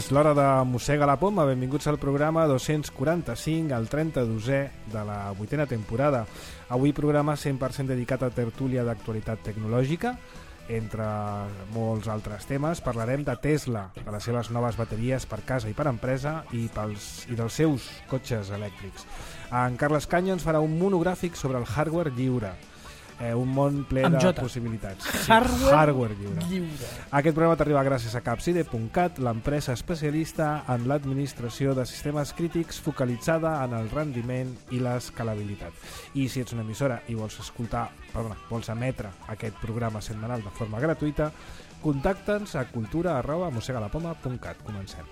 És l'hora de Mossega la Poma. Benvinguts al programa 245, el 32è de la 8a temporada. Avui programa 100% dedicat a tertúlia d'actualitat tecnològica. Entre molts altres temes parlarem de Tesla, de les seves noves bateries per casa i per empresa i dels seus cotxes elèctrics. En Carles Canyo ens farà un monogràfic sobre el hardware lliure. Un món ple de possibilitats. Hardware lliure. Aquest programa t'arriba gràcies a Capcide.cat, l'empresa especialista en l'administració de sistemes crítics focalitzada en el rendiment i l'escalabilitat. I si ets una emissora i vols emetre aquest programa setmanal de forma gratuïta, contacta'ns a cultura@mossegalapoma.cat. Comencem.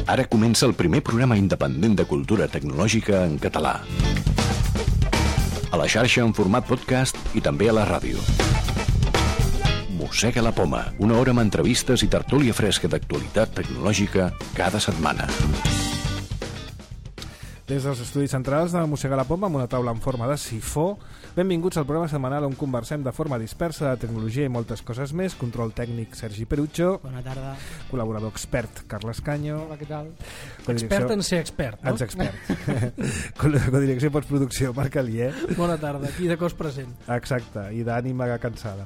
Ara comença el primer programa independent de cultura tecnològica en català. A la xarxa en format podcast i també a la ràdio. Mossega la Poma, una hora amb entrevistes i tertúlia fresca d'actualitat tecnològica cada setmana. Des dels estudis centrals de Mossega la Poma, amb una taula en forma de sifó, benvinguts al programa setmanal on conversem de forma dispersa de tecnologia i moltes coses més. Control tècnic Sergi Perucho. Bona tarda. Col·laborador expert Carles Canyo. Hola, què tal? Expert en ser expert, no? Ets expert. Codirecció i postproducció Marc Alier. Bona tarda, aquí de cos present. Exacte, i d'ànima cansada.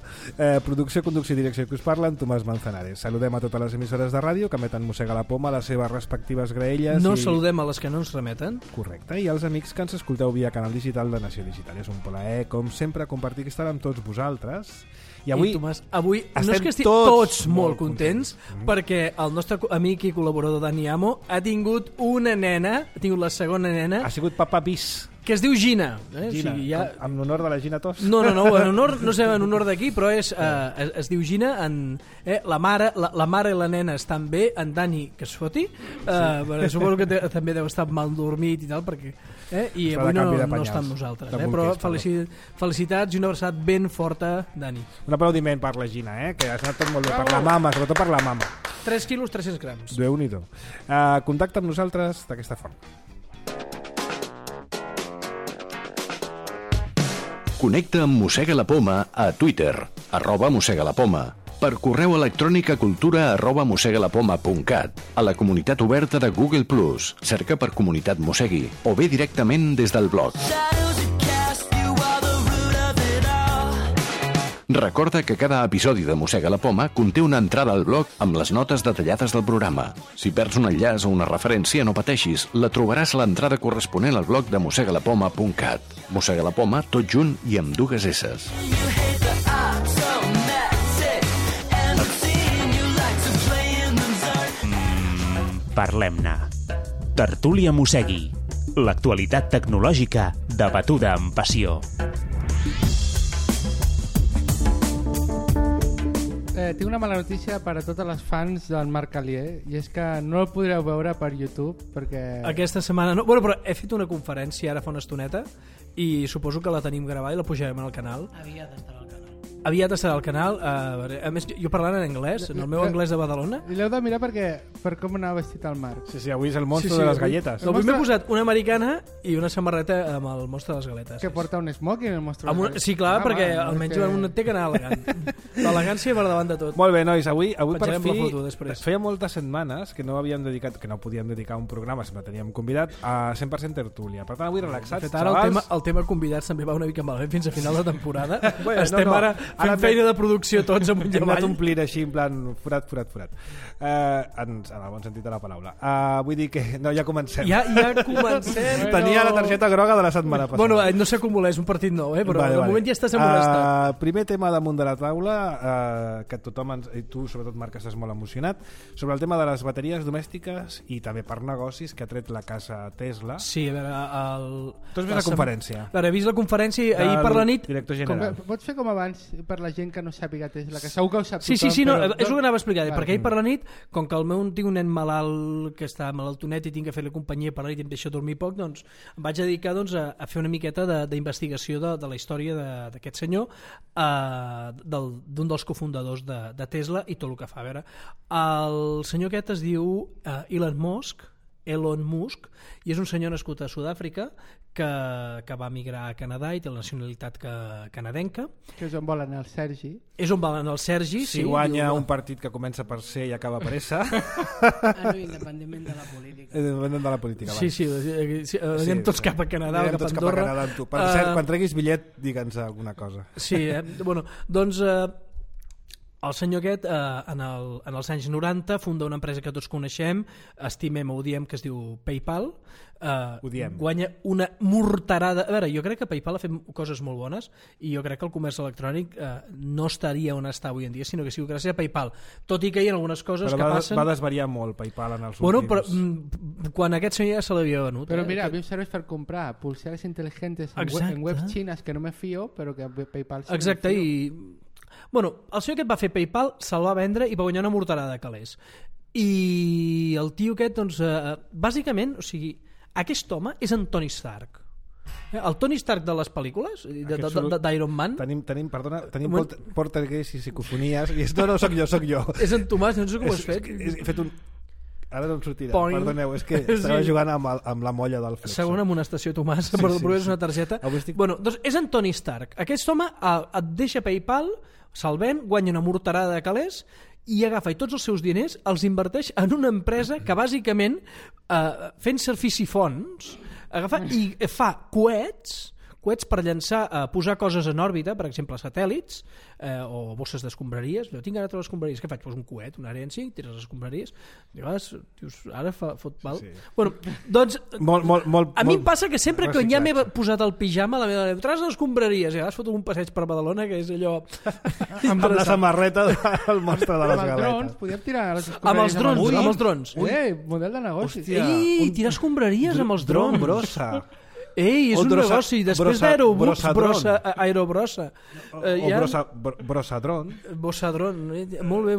Producció, conducció i direcció que us parlen, Tomàs Manzanares. Saludem a totes les emissores de ràdio que emeten Mossega la Poma a les seves respectives graelles. No saludem a les que no ens remeten. Correcte, i als amics que ens escolteu via canal digital de Nació Digital. És un plaer, com sempre, compartir aquesta hora amb tots vosaltres. I avui, Tomàs, avui no és que estigui tots molt contents, perquè el nostre amic i col·laborador Dani Amo ha tingut una nena, ha tingut la segona nena. Ha sigut papa bis. Que es diu Gina. Gina, o sigui, en honor de la Gina Tos? No, en honor d'aquí, però es diu Gina. La mare i la nena estan bé, en Dani, que es foti. Suposo que també deu estar mal dormit i tal, perquè... I avui no està amb nosaltres. Però felicitats i una abraçada ben forta, Dani. Un aplaudiment per la Gina, que ha estat tot molt bé. Per la mama, sobretot per la mama. 3 quilos, 300 grams. Déu-n'hi-do. Contacta amb nosaltres d'aquesta forma. Connecta amb Mossega la Poma a Twitter, @mossegalapoma, per correu electrònic a cultura@mossegalapoma.cat, a la comunitat oberta de Google+, cerca per Comunitat Mossegui, o bé directament des del blog. Recorda que cada episodi de Mossega la Poma conté una entrada al blog amb les notes detallades del programa. Si perds un enllaç o una referència, no pateixis, la trobaràs a l'entrada corresponent al blog de mossegalapoma.cat. Mossega la Poma, tot junt i amb 2 esses. Parlem-ne. Tertúlia Mossegui. L'actualitat tecnològica debatuda amb passió. Tinc una mala notícia per a totes les fans del Marc Alier, i és que no el podreu veure per YouTube perquè... Aquesta setmana no. Bueno, però he fet una conferència ara fa una estoneta i suposo que la tenim gravada i la pujarem al canal. Aviat estarà al canal. A més, jo parlant en anglès, en el meu anglès de Badalona. I l'heu de mirar per com anava vestit el Marc. Sí, avui és el monstre de les galletes. Avui m'he posat una americana i una samarreta amb el monstre de les galetes. Que porta un smoking, el monstre de les galetes. Sí, clar, perquè almenys un té que anar elegant. L'elegància per davant de tot. Molt bé, nois, avui per fi feia moltes setmanes que no podíem dedicar un programa, sempre teníem convidat a 100% tertúlia. Per tant, avui relaxats, xavals. El tema convidats també va una mica malament fins a final de temporada. Estem ara fent feina de producció tots amunt i avall. Hem anat omplint així en plan forat. En el bon sentit de la paraula. Vull dir que ja comencem. Ja comencem. Tenia la targeta groga de la setmana passada. Bueno, no s'acumula, és un partit nou, però de moment ja estàs amolestat. Primer tema damunt de la taula, que tothom, i tu sobretot Marc estàs molt emocionat, sobre el tema de les bateries domèstiques i també per negocis que ha tret la casa Tesla. Sí, a veure... Tu has vist la conferència? A veure, he vist la conferència ahir per la nit. Director general. Pots fer com abans per la gent que no sàpiga Tesla, que segur que ho sap tothom. Sí, no, és el que anava a explicar, perquè ahir per la nit, com que el meu tinc un nen malalt que està malaltonet i tinc que fer-li companyia per la nit i em deixa dormir poc, doncs em vaig dedicar a fer una miqueta d'investigació de la història d'aquest senyor, d'un dels cofundadors de Tesla i tot el que fa. A veure, el senyor aquest es diu Elon Musk, Elon Musk, i és un senyor nascut a Sud-àfrica que va migrar a Canadà i té la nacionalitat canadenca. Que és on vol anar el Sergi. És on va anar el Sergi. Si guanya un partit que comença per C i acaba per S. Independentment de la política. Independent de la política. Sí, anem tots cap a Canadà o cap a Andorra. Per cert, quan treguis bitllet, digue'ns alguna cosa. Sí, bueno, doncs el senyor aquest en els anys 90 funda una empresa que tots coneixem, estimem o odiem, que es diu PayPal. Guanya una morterada. A veure, jo crec que PayPal ha fet coses molt bones i jo crec que el comerç electrònic no estaria on està avui en dia, sinó que sigui gràcies a PayPal, tot i que hi ha algunes coses que passen. Va desvariar molt PayPal en els últims. Però quan aquest senyor ja se l'havia venut. Però mira, a mi em serveix per comprar pulseres intel·ligents en webs xines que no me fio, però que PayPal sí. Exacte, i bueno, el senyor aquest va fer PayPal, se'l va vendre i va guanyar una morterada de calés. I el tio aquest, doncs, bàsicament, o sigui, aquest home és en Tony Stark. El Tony Stark de les pel·lícules d'Iron Man. Tenim portuguès i psicofonies i no soc jo. És en Tomàs, no sé com ho has fet. He fet un... Ara no em sortirà, perdoneu, és que estava jugant amb la molla del Flexo. Segona amonestació, Tomàs, però és una targeta. Bueno, doncs és en Tony Stark. Aquest home et deixa PayPal, se'l ven, guanya una morterada de calés i agafa tots els seus diners, els inverteix en una empresa que bàsicament fent servicifons agafa i fa coets per llançar, posar coses en òrbita, per exemple satèl·lits o bosses d'escombraries. Jo tinc ara totes les escombraries, què faig? Poso un coet, un Ariane 5, tires les escombraries, dius, ara fot mal. Sí. Bueno, doncs a mi em passa que sempre que ja m'he posat el pijama, la meva dona, traus les escombraries, i ara foto un passeig per Badalona, que és allò amb la samarreta del monstre de les galetes. Amb els drons, podíem tirar les escombraries amb els drons. Model de negoci. Ei, tirar escombraries amb els drons. Brossa. Ei, és un negoci. Després d'Aerobus, Aerobrossa. O Brossadron. Brossadron. Molt bé,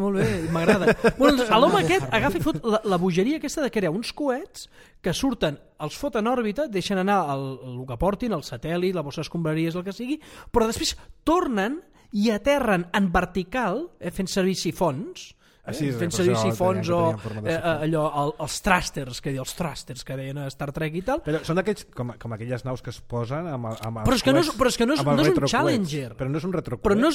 m'agrada. Bueno, l'home aquest agafa i fot la bogeria aquesta de crear uns coets que surten, els foten en òrbita, deixen anar el que portin, el satèl·lit, la bossa d'escombraries, el que sigui, però després tornen i aterren en vertical, fent servir sifons, fent servir sifons o allò, els thrusters que deien a Star Trek i tal. Però són d'aquells com aquelles naus que es posen amb però és que no és un Challenger, però no és un retrocoet, però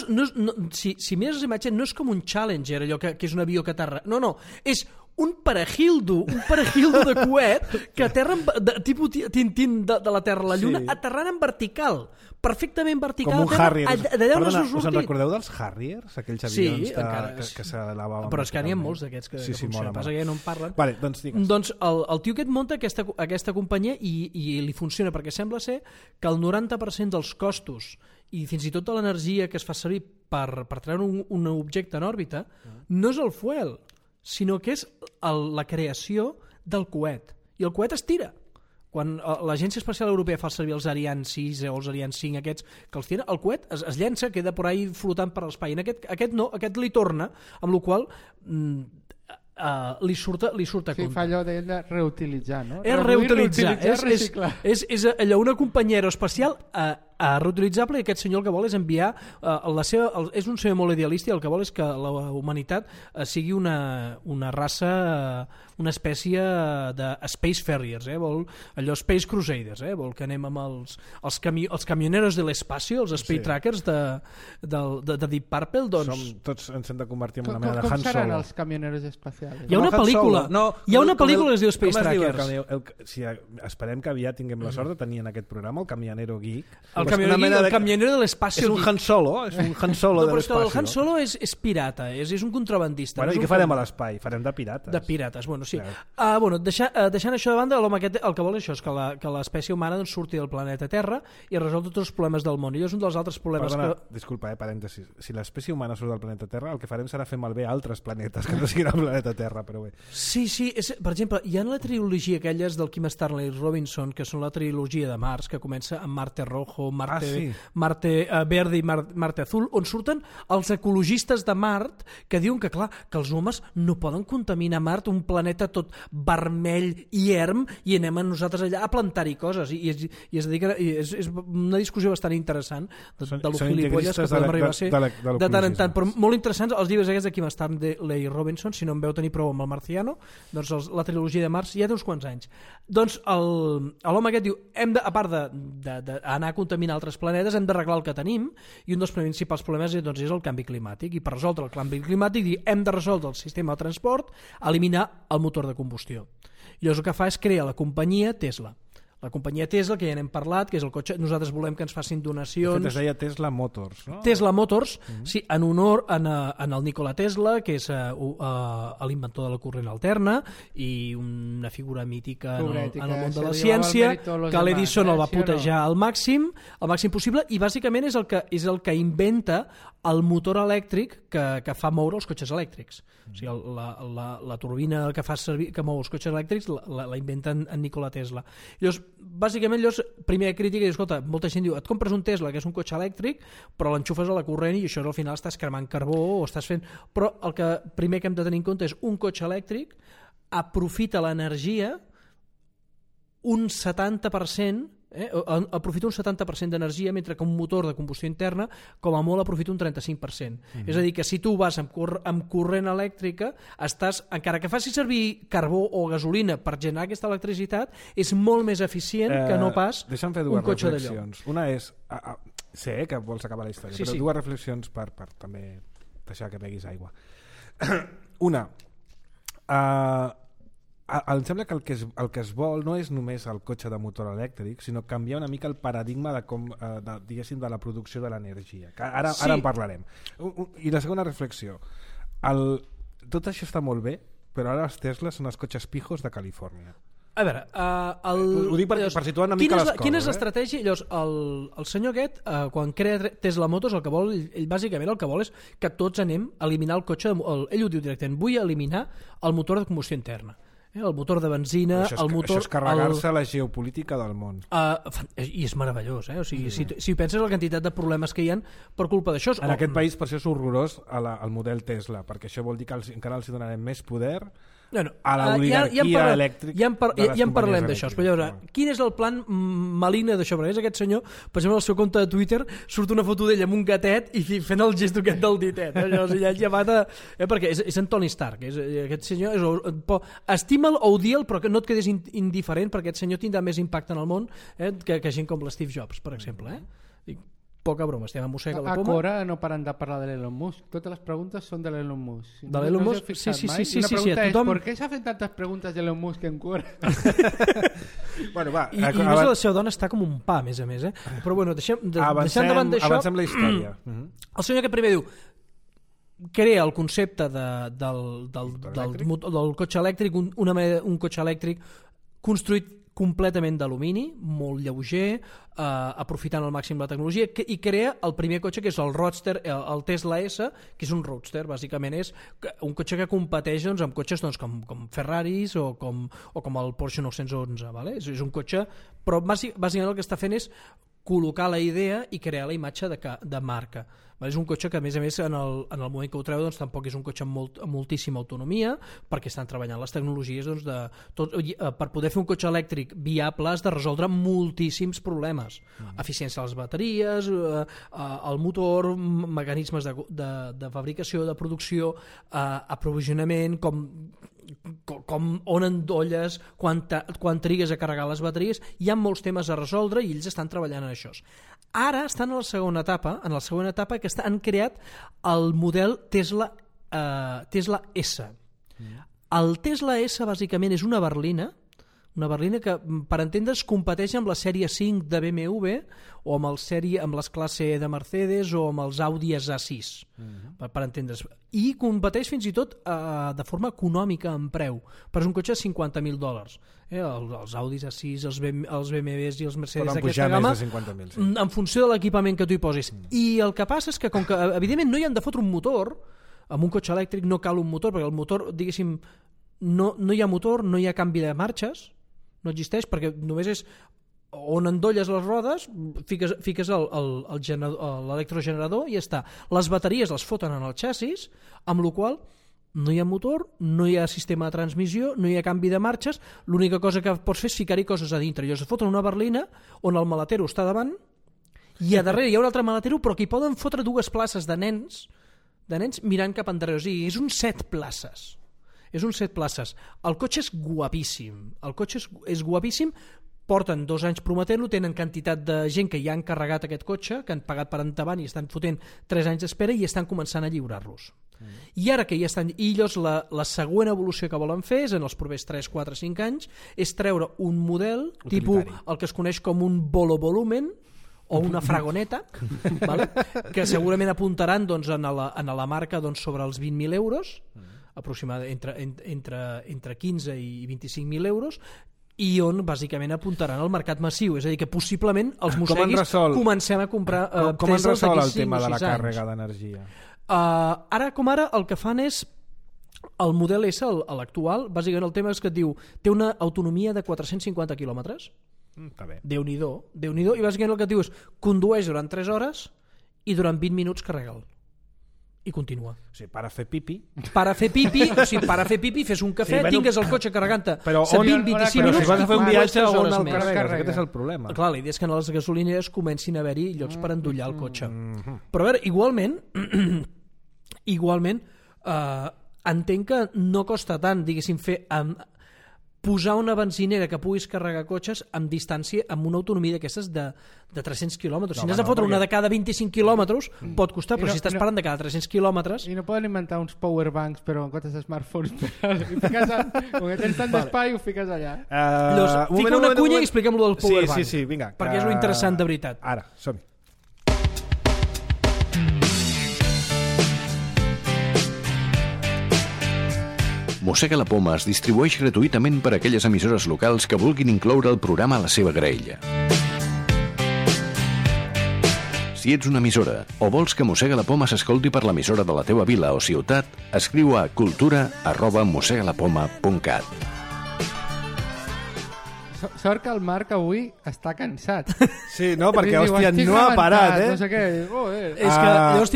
si mires les imatges no és com un Challenger, allò que és un avió que aterra, no, és un parejildo de coet que aterra tipus Tintín de la Terra a la Lluna, aterrant en vertical, perfectament vertical, com un Harrier. Perdona, us en recordeu dels Harriers, aquells avions que se lavaven? Però és que n'hi ha molts d'aquests que passa que ja no en parlen. Vale, doncs digues. Doncs el tio aquest munta aquesta companyia i li funciona, perquè sembla ser que el 90% dels costos i fins i tot de l'energia que es fa servir per treure un objecte en òrbita no és el fuel, sinó que és la creació del coet. I el coet es tira. Quan l'Agència Espacial Europea fa servir els Ariane 6 o els Ariane 5 aquests que els tira, el coet es llença, queda per ahí flotant per l'espai. Aquest no, aquest li torna, amb la qual li surt a compte. Sí, fa allò de reutilitzar, no? És reutilitzar. És allò, una companyia aeroespacial reutilitzable, i aquest senyor el que vol és enviar és un senyor molt idealista i el que vol és que la humanitat sigui una raça, una espècie de Space Farriers, vol allò Space Crusaders, vol que anem amb els camioneros de l'espacio, els Space Trackers de Deep Purple, doncs... Tots ens hem de convertir en una mena de Han Solo. Com seran els camioneros espacials? Hi ha una pel·lícula que es diu Space Trackers. Esperem que aviat tinguem la sort de tenir en aquest programa el camionero geek. El camionero de l'espacio. És un Han Solo, de l'espacio. El Han Solo és pirata, és un contrabandista. Bueno, i què farem a l'espai? Farem de pirates. De pirates, bueno, sí. Deixant això de banda, l'home aquest el que vol és això, és que l'espècie humana surti del planeta Terra i resol tots els problemes del món. I és un dels altres problemes Disculpa, parèntesis. Si l'espècie humana surt del planeta Terra, el que farem serà fer malbé altres planetes que no siguin el planeta Terra, però bé. Sí, per exemple, hi ha la trilogia aquelles del Kim Stanley Robinson, que són la trilogia de Mars, que comença amb Marte Rojo, Marte Verde i Marte Azul, on surten els ecologistes de Mart que diuen que, clar, que els homes no poden contaminar Mart, un planeta tot vermell i erm, i anem nosaltres allà a plantar-hi coses. I és una discussió bastant interessant de lo gilipolles que podem arribar a ser de tant en tant, però molt interessants els llibres aquests de Kim Stanley Robinson. Si no en veu tenir prou amb el Marciano, doncs la trilogia de Mars ja té uns quants anys. Doncs l'home aquest diu, a part d'anar a contaminar altres planetes, hem d'arreglar el que tenim, i un dels principals problemes és el canvi climàtic, i per resoldre el canvi climàtic hem de resoldre el sistema de transport, eliminar el motor de combustió. I llavors el que fa és crear la companyia Tesla. La companyia Tesla, que ja n'hem parlat, que és el cotxe, nosaltres volem que ens facin donacions. De fet, es deia Tesla Motors, no? Tesla Motors, sí, en honor en el Nikola Tesla, que és l'inventor de la corrent alterna i una figura mítica en el món de la ciència, que l'Edison el va putejar al màxim possible, i bàsicament és el que inventa el motor elèctric que fa moure els cotxes elèctrics. O sigui, la turbina que fa servir, que mou els cotxes elèctrics, la inventa en Nikola Tesla. Llavors, bàsicament, primera crítica, escolta, molta gent diu, et compres un Tesla, que és un cotxe elèctric, però l'enxufes a la corrent i això al final estàs cremant carbó o estàs fent... Però el que primer que hem de tenir en compte és un cotxe elèctric aprofita l'energia un 70%, aprofita un 70% d'energia, mentre que un motor de combustió interna com a molt aprofita un 35%. És a dir, que si tu vas amb corrent elèctrica, encara que facis servir carbó o gasolina per generar aquesta electricitat, és molt més eficient que no pas un cotxe d'allò. Una és, sé que vols acabar la història, però dues reflexions per també deixar que beguis aigua. Una, em sembla que el que es vol no és només el cotxe de motor elèctric, sinó canviar una mica el paradigma de la producció de l'energia. Ara en parlarem. I la segona reflexió, tot això està molt bé, però ara els Tesla són els cotxes pijos de Califòrnia. A veure, ho dic per situar una mica les coses. Quina és l'estratègia? Llavors, el senyor aquest, quan crea Tesla Motors, el que vol, ell bàsicament el que vol és que tots anem a eliminar el cotxe, ell ho diu directament, vull eliminar el motor de combustió interna. El motor de benzina, el motor... Això és carregar-se la geopolítica del món. I és meravellós, o sigui, si penses la quantitat de problemes que hi ha per culpa d'això... En aquest país, per això és horrorós el model Tesla, perquè això vol dir que encara els donarem més poder a l'oligarquia elèctrica. Ja en parlem d'això, però llavors, quin és el plan maligne d'això? Perquè és aquest senyor, per exemple, al seu compte de Twitter surt una foto d'ell amb un gatet i fent el gest aquest del ditet. Llavors ja mata... Perquè és en Tony Stark, aquest senyor estima'l o odia'l, però que no et quedis indiferent, perquè aquest senyor tindrà més impacte en el món que gent com l'Steve Jobs, per exemple. Poca broma, estem a Mossega la Poma. A Cora no paren de parlar de l'Elon Musk. Totes les preguntes són de l'Elon Musk. De l'Elon Musk? Sí. Una pregunta és, ¿por qué se hacen tantas preguntas de Elon Musk en Cora? Bueno, va. I la seva dona està com un pa, a més. Però bueno, deixant davant d'això... Avancem la història. El senyor que primer diu, crea el concepte del cotxe elèctric, un cotxe elèctric construït completament d'alumini, molt lleuger, aprofitant al màxim la tecnologia, i crea el primer cotxe, que és el Roadster, el Tesla S, que és un Roadster, bàsicament és un cotxe que competeix amb cotxes com Ferraris o com el Porsche 911, ¿vale? És un cotxe, però bàsicament el que està fent és col·locar la idea i crear la imatge de marca. És un cotxe que, a més, en el moment que ho treu, doncs, tampoc és un cotxe amb moltíssima autonomia, perquè estan treballant les tecnologies per poder fer un cotxe elèctric viable has de resoldre moltíssims problemes. Eficiència de les bateries, el motor, mecanismes de fabricació, de producció, aprovisionament, on endolles, quan trigues a carregar les bateries. Hi ha molts temes a resoldre i ells estan treballant en això. Ara estan en la segona etapa que han creat el model Tesla S. El Tesla S bàsicament és una berlina que, per entendre's, competeix amb la sèrie 5 de BMW o amb les classe E de Mercedes o amb els Audi A6, per entendre's. I competeix fins i tot de forma econòmica en preu, però és un cotxe de $50,000. Els Audis A6, els BMWs i els Mercedes d'aquesta gamma, en funció de l'equipament que tu hi posis. I el que passa és que, com que evidentment no hi han de fotre un motor, amb un cotxe elèctric no cal un motor, perquè el motor, diguéssim, no hi ha motor, no hi ha canvi de marxes, no existeix, perquè només és on endolles les rodes, fiques l'electrogenerador i ja està. Les bateries les foten en el xassis, amb la qual no hi ha motor, no hi ha sistema de transmissió, no hi ha canvi de marxes, l'única cosa que pots fer és ficar-hi coses a dintre. Llavors foten una berlina on el maletero està davant i a darrere hi ha un altre maletero, però que hi poden fotre 2 places de nens mirant cap endarrere. O sigui, és un 7 places. És un 7 places. El cotxe és guapíssim. Porten 2 anys prometent-lo, tenen quantitat de gent que ja han carregat aquest cotxe, que han pagat per endavant i estan fotent 3 anys d'espera i estan començant a lliurar-los. I ara que ja estan... I llavors la següent evolució que volen fer és, en els propers 3, 4, 5 anys, és treure un model tipus el que es coneix com un volumen o una fragoneta, vale? Que segurament apuntaran doncs, en la marca doncs, sobre els 20.000 euros, aproximadament entre 15 i 25.000 euros, i on bàsicament apuntaran al mercat massiu, és a dir, que possiblement els mosseguis comencem a comprar com es resol el tema de la càrrega d'energia? Ara com ara el que fan és el model S, l'actual, bàsicament el tema és que et diu té una autonomia de 450 quilòmetres. Està bé. Déu-n'hi-do, i bàsicament el que et diu és condueix durant 3 hores i durant 20 minuts carrega'l i continua. O sigui, per a fer pipi, fes un cafè, tingues el cotxe carregant-te 20-25 20-25 minuts. Però si vas a fer un viatge on el més. carregues, aquest és el problema. Clar, la idea és que a les gasolineres comencin a haver-hi llocs per endollar el cotxe. Però a veure, igualment entenc que no costa tant, diguéssim, posar una benzinera que puguis carregar cotxes amb distància, amb una autonomia d'aquestes de 300 quilòmetres. Si n'has de fotre una de cada 25 quilòmetres, pot costar, però si estàs parlant de cada 300 quilòmetres... I no poden inventar uns powerbanks, però en comptes de smartphones, com que tens tant d'espai, ho fiques allà. Fica una cunya i expliquem-lo del powerbank. Sí, vinga. Perquè és lo interessant de veritat. Ara, som-hi. Mossega la Poma es distribueix gratuïtament per a aquelles emissores locals que vulguin incloure el programa a la seva graella. Si ets una emissora o vols que Mossega la Poma s'escolti per l'emissora de la teva vila o ciutat, escriu a cultura@mossegalapoma.cat. Sort que el Marc avui està cansat. Sí, no, perquè, hòstia, no ha parat, No sé què. És que llavors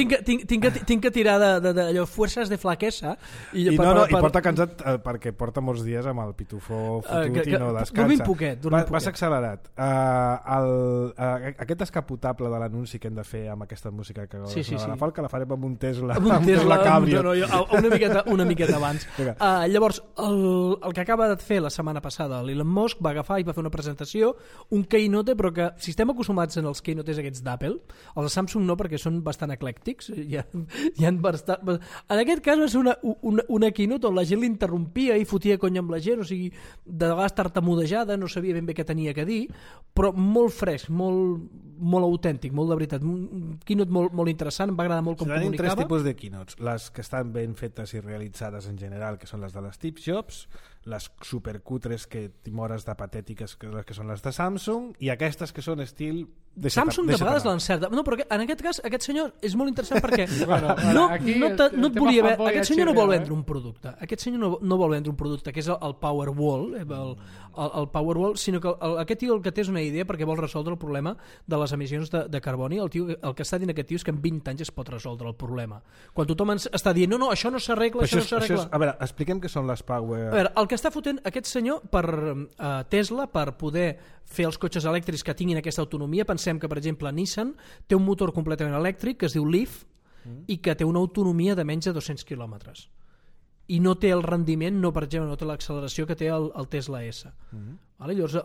tinc que tirar d'allò fuerzas de flaquesa. I porta cansat perquè porta molts dies amb el pitufo fotut i no descansa. Dormim poquet. Vas accelerat. Aquest descapotable de l'anunci que hem de fer amb aquesta música que la Falca la farem amb un Tesla. Amb un Tesla Cabrio. Una miqueta abans. Llavors, el que acaba de fer la setmana passada l'Elon Musk va agafar i va fer una presentació, un keynote, però que si estem acostumats en els keynotes aquests d'Apple, els de Samsung no, perquè són bastant eclèctics, en aquest cas va ser una keynote on la gent l'interrompia i fotia conya amb la gent, o sigui, de vegades tartamudejada, no sabia ben bé què tenia que dir, però molt fresc, molt autèntic, molt de veritat, un keynote molt interessant, em va agradar molt com comunicava. Tenim 3 tipus de keynotes, les que estan ben fetes i realitzades en general, que són les de l'Steve Jobs, les supercutres que timores de patètiques que són les de Samsung, i aquestes que són estil... Samsung de vegades l'encerta. No, però en aquest cas, aquest senyor és molt interessant perquè no et volia haver... Aquest senyor no vol vendre un producte. Aquest senyor no vol vendre un producte, que és el Powerwall, el Powerwall, sinó que aquest tio el que té és una idea perquè vol resoldre el problema de les emissions de carboni. El que està dient aquest tio és que en 20 anys es pot resoldre el problema. Quan tothom està dient, no, això no s'arregla, això no s'arregla... A veure, expliquem què són les Power... A veure, el que està fotent aquest senyor per Tesla, per poder fer els cotxes elèctrics que tinguin aquesta autonomia, pensem que, per exemple, Nissan té un motor completament elèctric que es diu Leaf i que té una autonomia de menys de 200 quilòmetres. I no té el rendiment, per exemple, no té l'acceleració que té el Tesla S. Llavors,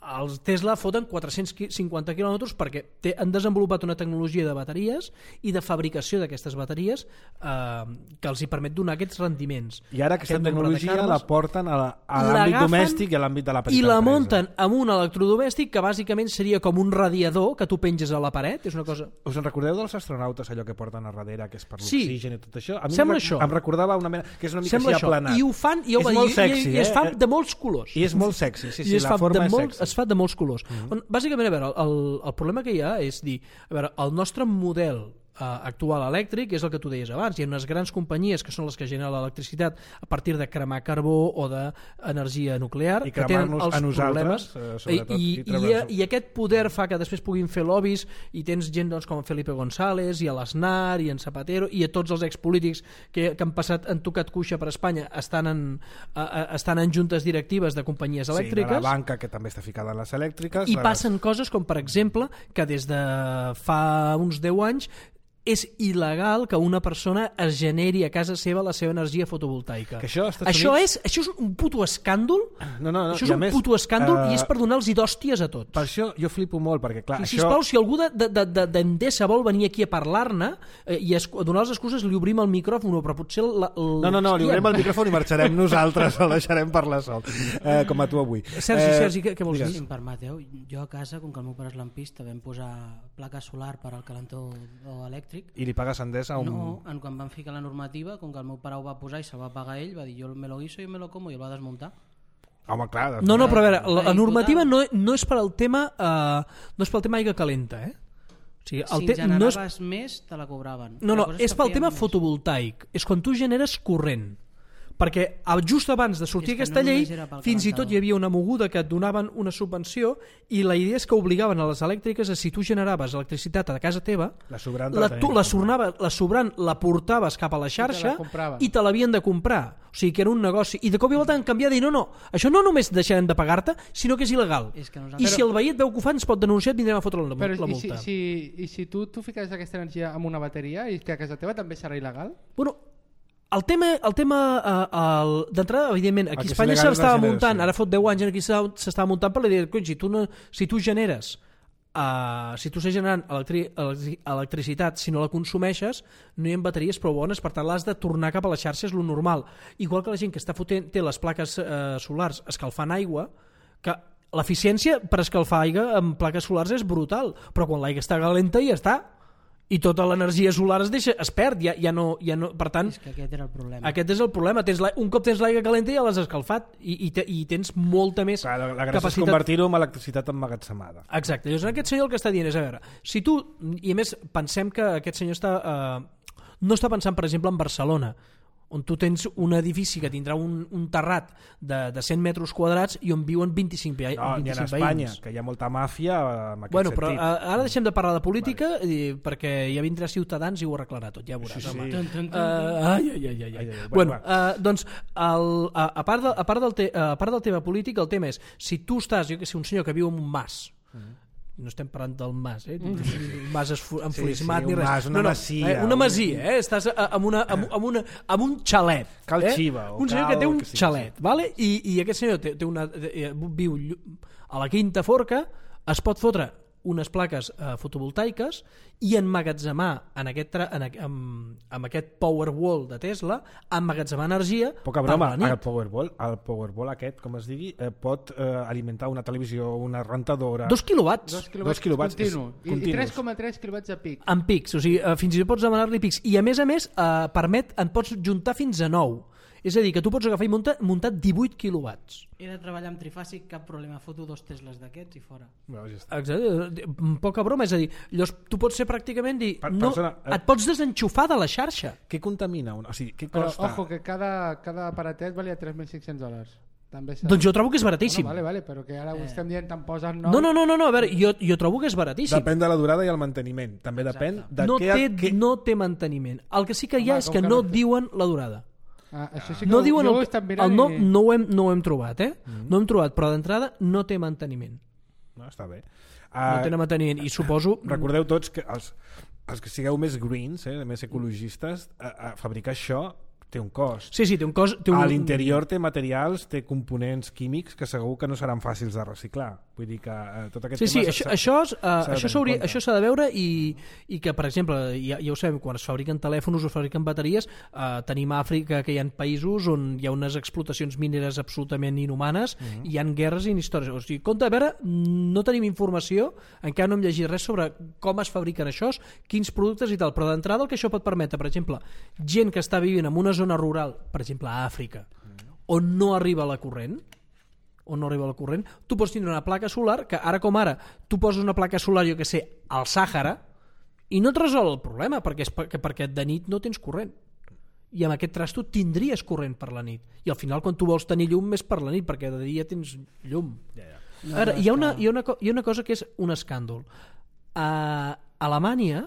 els Tesla foten 450 quilòmetres perquè han desenvolupat una tecnologia de bateries i de fabricació d'aquestes bateries que els hi permet donar aquests rendiments. I ara aquesta tecnologia la porten a l'àmbit domèstic i a l'àmbit de la petita empresa. I la munten amb un electrodomèstic que bàsicament seria com un radiador que tu penges a la paret. És una cosa... Us en recordeu dels astronautes, allò que porten a darrere, que és per l'oxigen i tot això? A mi sembla això. Em recordava una mena... que és una mica així aplanat. I ho fan, i es fan de molts colors. I és molt sexy, sí, la forma és sexy. Es fa de molts colors. Bàsicament, a veure, el problema que hi ha és dir, a veure, el nostre model actual elèctric és el que tu deies abans. Hi ha unes grans companyies que són les que generen l'electricitat a partir de cremar carbó o d'energia nuclear, I que tenen cremar-nos els a nosaltres, problemes i aquest poder fa que després puguin fer lobbies, i tens gent doncs, com Felipe González i a l'Aznar i en Zapatero i a tots els expolítics que han tocat cuixa per Espanya estan en juntes directives de companyies elèctriques. Sí, de la banca, que també està ficada en les elèctriques. I passen coses com, per exemple, que des de fa uns 10 anys és il·legal que una persona es generi a casa seva la seva energia fotovoltaica. Que això és un puto escàndol. No, això és un puto escàndol i és per donar-los d'hòsties a tots. Per això jo flipo molt, perquè clar... I sisplau, si algú d'Endesa vol venir aquí a parlar-ne i a donar les excuses, li obrim el micròfon, però potser... No, li obrim el micròfon i marxarem nosaltres, el deixarem parlar sol, com a tu avui. Sergi, què vols dir? Si em permeteu, jo a casa, com que el meu pare és lampista, vam posar placa solar per al calentó elèctric. I li pagues a Endesa? No, quan van ficar la normativa, com que el meu pare ho va posar i se'l va pagar ell, va dir jo me lo guiso, yo me lo como, i el va desmuntar. Home, clar. No, però a veure, la normativa no és per al tema aigua calenta, O sigui, si generaves més, te la cobraven. No, és pel tema fotovoltaic. És quan tu generes corrent. Perquè just abans de sortir aquesta llei fins i tot hi havia una moguda que et donaven una subvenció i la idea és que obligaven a les elèctriques a si tu generaves electricitat a casa teva, la sobrant la portaves cap a la xarxa i te l'havien de comprar. O sigui que era un negoci. I de cop i volta han canviat i no, això no només deixarem de pagar-te, sinó que és il·legal. I si el veí et veu que ho fa ens pot denunciar i et vindrem a fotre la multa. I si tu fiques aquesta energia amb una bateria i que a casa teva també serà il·legal? Bueno, el tema d'entrada, evidentment, aquí a Espanya s'estava muntant, ara fot 10 anys aquí s'estava muntant per la idea de si tu generes si tu estàs generant electricitat, si no la consumeixes no hi ha bateries prou bones, per tant l'has de tornar cap a la xarxa, és lo normal. Igual que la gent que té les plaques solars escalfant aigua, que l'eficiència per escalfar aigua amb plaques solars és brutal, però quan l'aigua està calenta ja està, i tota l'energia solar es perd, ja no, per tant... És que aquest era el problema. Aquest és el problema. Un cop tens l'aigua calenta ja l'has escalfat i tens molta més capacitat. La gràcia és convertir-ho en electricitat emmagatzemada. Exacte. Llavors aquest senyor el que està dient és, a veure, si tu, i a més pensem que aquest senyor no està pensant, per exemple, en Barcelona, on tu tens un edifici que tindrà un terrat de 100 metres quadrats i on viuen 25 veïns. No, ni en Espanya, que hi ha molta màfia en aquest sentit. Però ara deixem de parlar de política perquè ja vindrà Ciutadans i ho arreglarà tot, ja veuràs. Doncs a part del tema polític, el tema és, si tu estàs, jo que sé, un senyor que viu en un mas, no estem parlant del mas, un mas enfurismat ni res. Una masia. Una masia, estàs amb un xalet. Cal Xiva. Un senyor que té un xalet, vale? I aquest senyor viu a la Quinta Forca, es pot fotre unes plaques fotovoltaiques i emmagatzemar amb aquest Powerwall de Tesla, emmagatzemar energia. Poca broma, el Powerwall aquest, com es digui, pot alimentar una televisió, una rentadora... 2 quilowatts. 2 quilowatts I 3,3 quilowatts a pic. En pics, o sigui, fins i tot pots demanar-li pics. I a més, en pots juntar fins a 9. És a dir, que tu pots agafar i muntar 18 quilowatts. He de treballar amb trifàsic, cap problema, foto 2 Tesles d'aquests i fora. Exacte, poca broma, és a dir, llavors tu pots ser pràcticament dir, et pots desenxufar de la xarxa. Què contamina? O sigui, què però, costa? ojo, que cada aparatet valia $3.500. Doncs jo trobo que és baratíssim. Vale, però que ara ho estem dient, te'n posen 9. No, a veure, jo trobo que és baratíssim. Depèn de la durada i el manteniment. També depèn de no té manteniment. El que sí que hi ha és que no diuen la durada. Això sí que no diuen ho estan mirant no ho hem trobat, no hem trobat, però d'entrada no té manteniment. No, està bé. No té manteniment i suposo... Recordeu tots que els que sigueu més greens, més ecologistes, fabricar això té un cost. Sí, té un cost. A l'interior té materials, té components químics que segur que no seran fàcils de reciclar. Vull dir que tot aquest tema... Això s'ha de veure i que, per exemple, ja ho sabem, quan es fabriquen telèfons o es fabriquen bateries, tenim a Àfrica, que hi ha països on hi ha unes explotacions mineres absolutament inhumanes, hi ha guerres i històries. O sigui, compte, a veure, no tenim informació, encara no hem llegit res sobre com es fabriquen això, quins productes i tal, però d'entrada el que això pot permetre, per exemple, gent que està vivint en una zona rural, per exemple a Àfrica, on no arriba la corrent, tu pots tindre una placa solar que ara com ara tu poses una placa solar, jo que sé, al Sàhara I no et resol el problema, perquè de nit no tens corrent. I amb aquest trasto tindries corrent per la nit. I al final, quan tu vols tenir llum, és per la nit, perquè de dia tens llum. Ara, hi ha una cosa que és un escàndol. A Alemanya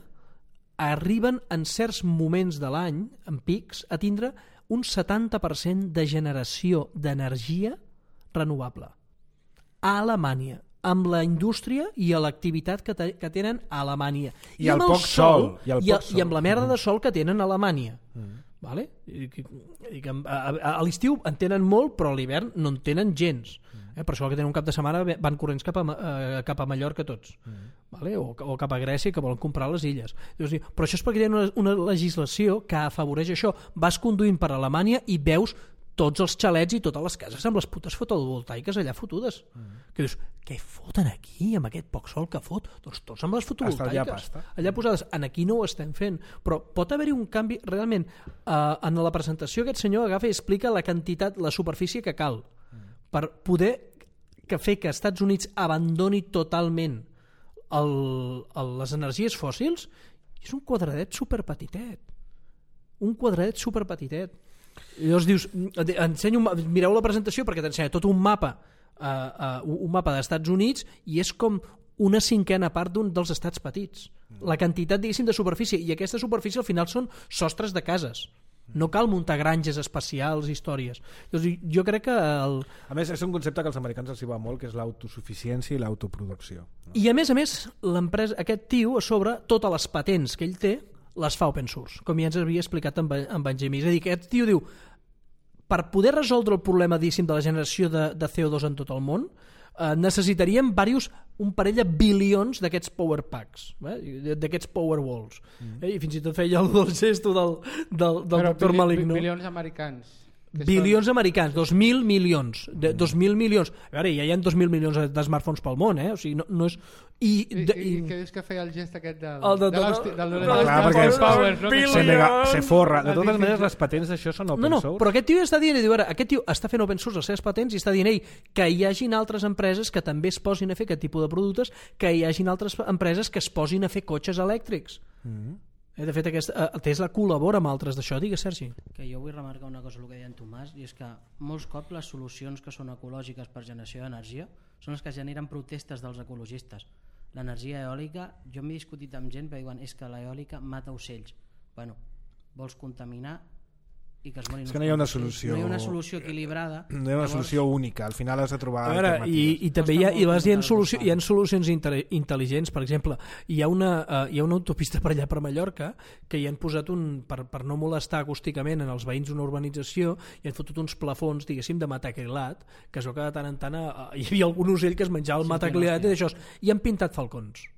arriben en certs moments de l'any, en pics, a tindre un 70% de generació d'energia renovable. A Alemanya, amb la indústria i a l'activitat que tenen a Alemanya. I el poc sol. I amb la merda de sol que tenen a Alemanya. Vale? A l'estiu en tenen molt, però a l'hivern no en tenen gens. Per això que tenen un cap de setmana van corrents cap a Mallorca tots. Vale? O cap a Grècia, que volen comprar les illes. Però això és perquè tenen una legislació que afavoreix això. Vas conduint per Alemanya i veus tots els xalets i totes les cases amb les putes fotovoltaiques allà fotudes. Que dius, què foten aquí amb aquest poc sol que fot? Doncs tots amb les fotovoltaiques allà posades. Aquí no ho estem fent, però pot haver-hi un canvi realment. En la presentació aquest senyor agafa i explica la quantitat, la superfície que cal per poder fer que Estats Units abandoni totalment les energies fòssils. És un quadradet superpetitet. I llavors dius, mireu la presentació perquè t'ensenya tot un mapa d'Estats Units i és com una cinquena part d'un dels estats petits. La quantitat, diguéssim, de superfície, i aquesta superfície al final són sostres de cases. No cal muntar granges espacials, històries. Llavors, jo crec que... A més, és un concepte que als americans els hi va molt, que és l'autosuficiència i l'autoproducció. I a més, l'empresa, aquest tio, a sobre, totes les patents que ell té, les fa open source, com ja ens havia explicat en Benjamí. És a dir, que aquest tio diu, per poder resoldre el problema, diguéssim, de la generació de CO2 en tot el món, necessitaríem un parell de bilions d'aquests power packs, d'aquests power walls. I fins i tot feia el gesto del doctor Maligno. Bilions americans. Bilions americans, 2.000 milions. 2.000 milions. A veure, ja hi ha 2.000 milions de smartphones pel món, O sigui, no és... I què dius que feia el gest aquest del Power, se forra. De totes maneres, les patents d'això són open source. Però aquest tio està dient, aquest tio està fent open source les seves patents i està dient que hi hagin altres empreses que també es posin a fer aquest tipus de productes, que hi hagin altres empreses que es posin a fer cotxes elèctrics. De fet, Tesla col·labora amb altres d'això. Digues, Sergi. Que jo vull remarcar una cosa, el que deia en Tomàs, i és que molts cops les solucions que són ecològiques per generació d'energia són les que generen protestes dels ecologistes. L'energia eòlica, jo m'he discutit amb gent que diuen és que l'eòlica mata ocells. Bueno, vols contaminar i que es morin. És que no hi ha una solució. No hi ha una solució equilibrada. No hi ha una solució única. Al final has de trobar alternatives. I també hi ha solucions intel·ligents. Per exemple, hi ha una autopista per allà per Mallorca que hi han posat per no molestar acústicament en els veïns d'una urbanització, i han fotut uns plafons, diguéssim, de matacrilat, que es veu que de tant en tant hi havia algun ocell que es menjava el matacrilat i d'això, i han pintat falcons.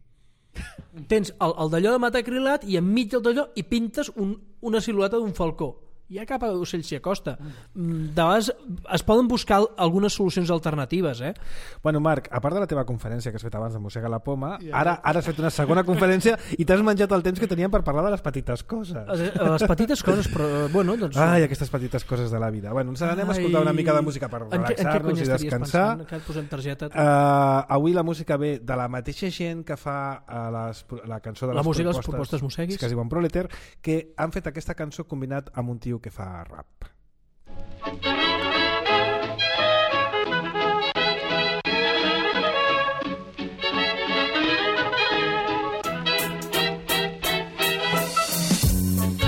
Tens el d'allò de matacrilat i enmig del d'allò i pintes una silueta d'un falcó. Hi ha cap ocell s'hi acosta. De vegades es poden buscar algunes solucions alternatives. Bueno, Marc, a part de la teva conferència que has fet abans de Mossega la Poma, ara has fet una segona conferència i t'has menjat el temps que teníem per parlar de les petites coses. Les petites coses, però bueno, doncs... Ai, aquestes petites coses de la vida. Bueno, ens anem a escoltar una mica de música per relaxar-nos i descansar. Que et posem targeta? Avui la música ve de la mateixa gent que fa la cançó de les propostes Mosseguis, que es diuen Proleter, que han fet aquesta cançó combinat amb un tio que fa rap.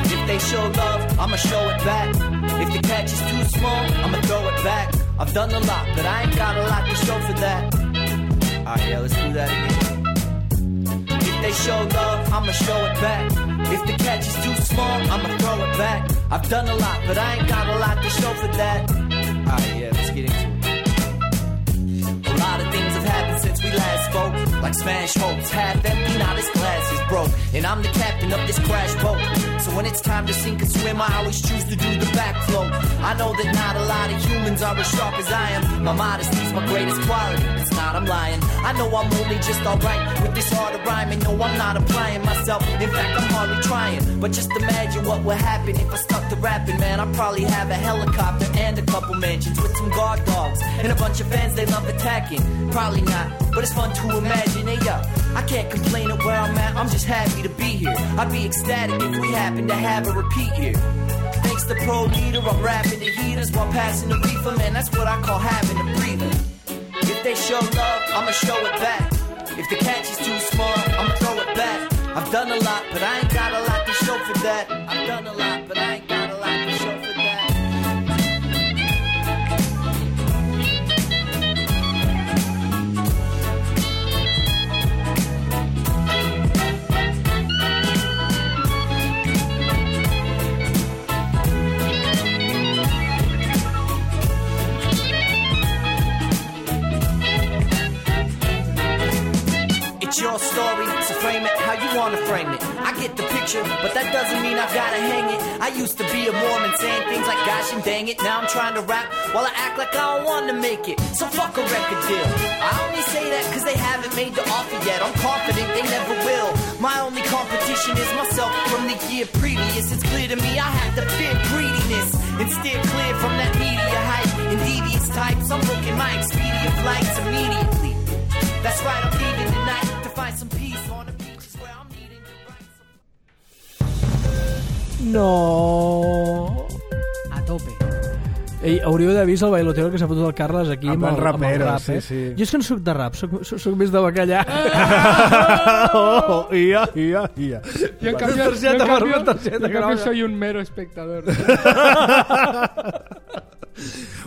If they show love, I'ma show it back. If the catch is too small, I'ma throw it back. I've done a lot, but I ain't got a lot to show for that. Alright, yeah, let's do that again. If they show love, I'ma show it back. If the catch is too small, I'ma throw it back. I've done a lot, but I ain't got a lot to show for that. Alright, yeah, let's get into it. A lot of things have happened since we last spoke. Like smash hopes, half empty, now this glass is broke. And I'm the captain of this crash boat. So when it's time to sink or swim, I always choose to do the backflow. I know that not a lot of humans are as sharp as I am. My modesty's my greatest quality, it's not, I'm lying. I know I'm only just alright with this art of rhyming. No, I'm not applying myself, in fact I'm hardly trying. But just imagine what would happen if I stuck to rapping, man. I'd probably have a helicopter and a couple mansions with some guard dogs and a bunch of fans they love attacking. Probably not, but it's fun to imagine. Hey, I can't complain at where I'm at, I'm just happy to be here. I'd be ecstatic if we happen to have a repeat here. Thanks to Pro Leader, I'm rapping the heaters while passing the reefer, man, that's what I call having a breather. If they show love, I'ma show it back. If the catch is too small, I'ma throw it back. I've done a lot, but I ain't got a lot to show for that. I've done a lot, but I ain't got a lot to show for that. It's your story, so frame it how you wanna frame it. I get the picture, but that doesn't mean I've gotta hang it. I used to be a Mormon saying things like gosh and dang it. Now I'm trying to rap while I act like I don't wanna make it. So fuck a record deal. I only say that cause they haven't made the offer yet. I'm confident they never will. My only competition is myself from the year previous. It's clear to me I have to fear greediness and steer clear from that media hype and devious types. I'm booking my Expedia flights immediately. That's right, I'm leaving tonight to find some peace on the beaches where I'm needing to write some... No. A tope. Ei, hauríeu d'haver vist el bailoteo que s'ha fotut el Carles aquí amb el rapero, rap, sí, sí. Jo és que no soc de rap, soc més de bacallà. Ia. Yo en cambio soy un mero espectador.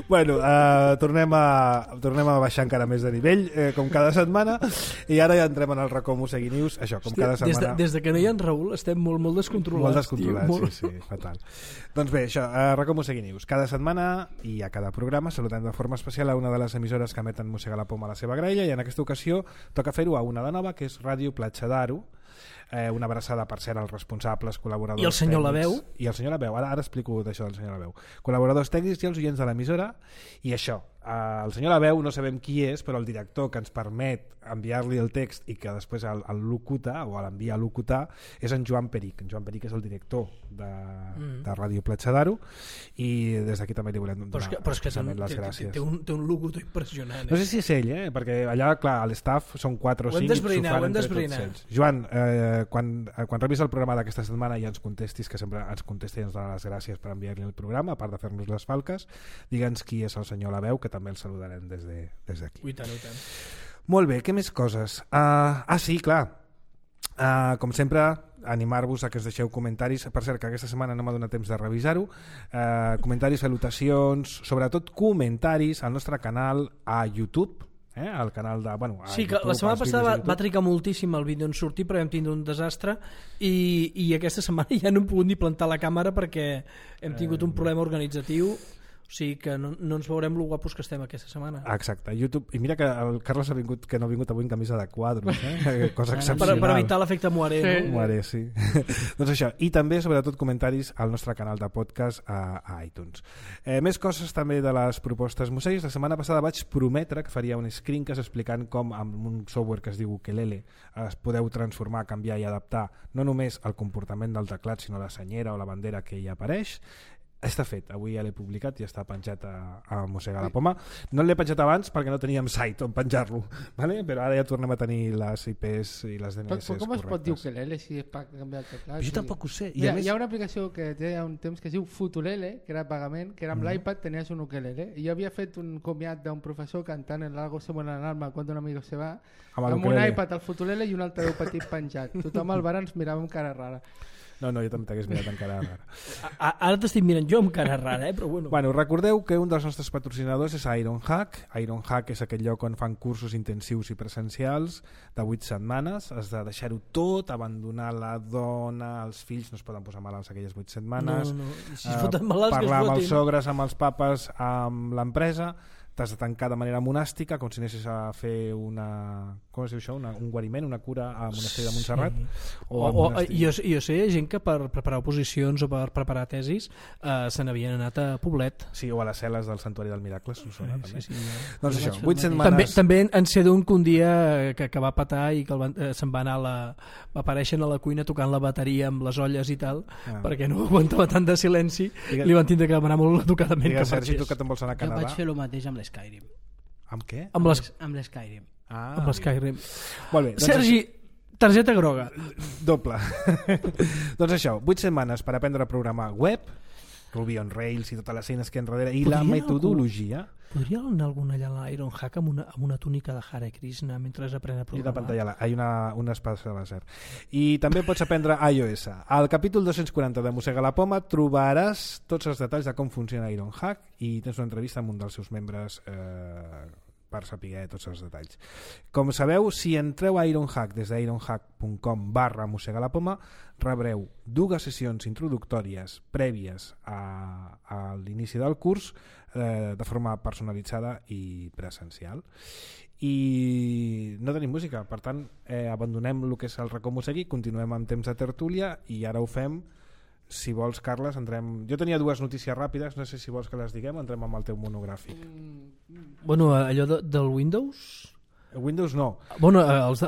Bueno, tornem a baixar encara més de nivell, com cada setmana, i ara ja entrem en el racó Mosegui News. Això, com cada setmana... Des de que no hi ha en Raül estem molt descontrolats. Molt descontrolats, sí, fatal. Doncs bé, això, racó Mosegui News. Cada setmana i a cada programa saludem de forma especial a una de les emissores que emeten Mossega la Poma a la seva graella, i en aquesta ocasió toca fer-ho a una de nova, que és Ràdio Platja d'Aro. Una abraçada, per cert, als responsables, col·laboradors i el senyor tècnics. Labeu. I el senyor Labeu, ara explico d'això del senyor Labeu. Col·laboradors tècnics i els oients de l'emissora. I això, el senyor Labeu no sabem qui és, però el director que ens permet enviar-li el text i que després el locuta, o l'envia a locutar, és en Joan Peric. En Joan Peric és el director de Ràdio Platja d'Aro, i des d'aquí també li volem donar especialment les gràcies. Té un locutor impressionant. No sé si és ell, perquè allà, clar, a l'estaf són 4 o 5 i s'ho fan entre tots ells. Joan, quan rebis el programa d'aquesta setmana i ens contestis, que sempre ens contesta i ens dona les gràcies per enviar-li el programa, a part de fer-nos les falques, digue'ns qui és el senyor Labeu, que també el saludarem des d'aquí. I tant. Molt bé, què més coses? Sí, clar, com sempre, animar-vos a que us deixeu comentaris. Per cert, que aquesta setmana no m'ha donat temps de revisar-ho. Comentaris, salutacions, sobretot comentaris al nostre canal a YouTube, al canal de... Sí, que la setmana passada va trigar moltíssim el vídeo en sortir, però hem tingut un desastre i aquesta setmana ja no hem pogut ni plantar la càmera perquè hem tingut un problema organitzatiu. O sigui que no ens veurem lo guapos que estem aquesta setmana. Exacte, YouTube. I mira que el Carles que no ha vingut avui en camisa de quadros, cosa excepcional. Per evitar l'efecte Moiré, sí. No? Moiré, sí. Doncs això, i també sobretot comentaris al nostre canal de podcast a iTunes. Més coses també de les propostes Moseguis. La setmana passada vaig prometre que faria un screencast explicant com amb un software que es diu Ukelele es podeu transformar, canviar i adaptar no només el comportament del teclat, sinó la senyera o la bandera que hi apareix. Està fet, avui ja l'he publicat i està penjat a Mossega la Poma. No l'he penjat abans perquè no teníem site on penjar-lo, ¿vale? Però ara ja tornem a tenir les IPs i les DNS correctes. Com es pot dir Ukelele si és per canviar el teclat? Jo tampoc ho sé. Hi ha una aplicació que té un temps que es diu Futulele, que era pagament, que era amb l'iPad tenies un ukelele, i jo havia fet un comiat d'un professor cantant en l'Algo se muere en alma cuando un amigo se va, amb un iPad al Futulele i un altaveu petit penjat. Tothom al bar ens mirava amb cara rara. No, jo també t'hagués mirat amb cara rara. Ara t'estic mirant jo amb cara rara, però bueno. Bueno, recordeu que un dels nostres patrocinadors és Ironhack. Ironhack és aquell lloc on fan cursos intensius i presencials de 8 setmanes. Has de deixar-ho tot, abandonar la dona, els fills, no es poden posar malalts aquelles 8 setmanes. No. Si es foten malalts, parlar amb els sogres, amb els papes, amb l'empresa. T'has de tancar de manera monàstica, com si anessis a fer com es diu això? Un guariment, una cura a Monestir de Montserrat. Sí. Jo sé gent que per preparar oposicions o per preparar tesis se n'havien anat a Poblet. Sí, o a les cel·les del Santuari del Miracle, Solsona, també. Sí. Doncs això, 8 setmanes... També en sé d'un que un dia que va patar i que se'n va anar va aparèixer a la cuina tocant la bateria amb les olles i tal, perquè no aguantava tant de silenci, li van tindre que demanar molt educadament que marxés. Sergi, tu que te'n vols anar a Canadà? Jo vaig fer el mateix amb l'Skyrim. Amb què? Amb l'Skyrim. Amb l'Skyrim. Molt bé. Sergi, Targeta groga. Doble. Doncs això, 8 setmanes per aprendre a programar web, Ruby on Rails i totes les eines que enrere, i la metodologia. Podria anar algun allà a l'Ironhack amb una túnica de Hare Krishna mentre aprèn a programar? I la pantalla, hi ha una espada làser. I també pots aprendre iOS. Al capítol 240 de Mossega la Poma trobaràs tots els detalls de com funciona Ironhack i tens una entrevista amb un dels seus membres per saber tots els detalls. Com sabeu, si entreu a Ironhack des d'ironhack.com/mossegalapoma rebreu 2 sessions introductòries prèvies a l'inici del curs de forma personalitzada i presencial. I no tenim música, per tant abandonem el que és el racó Mossegui, continuem amb temps de tertúlia i ara ho fem. Si vols, Carles, entrem... Jo tenia 2 notícies ràpides, no sé si vols que les diguem, entrem amb el teu monogràfic. Bueno, allò del Windows... Windows no. Bueno, els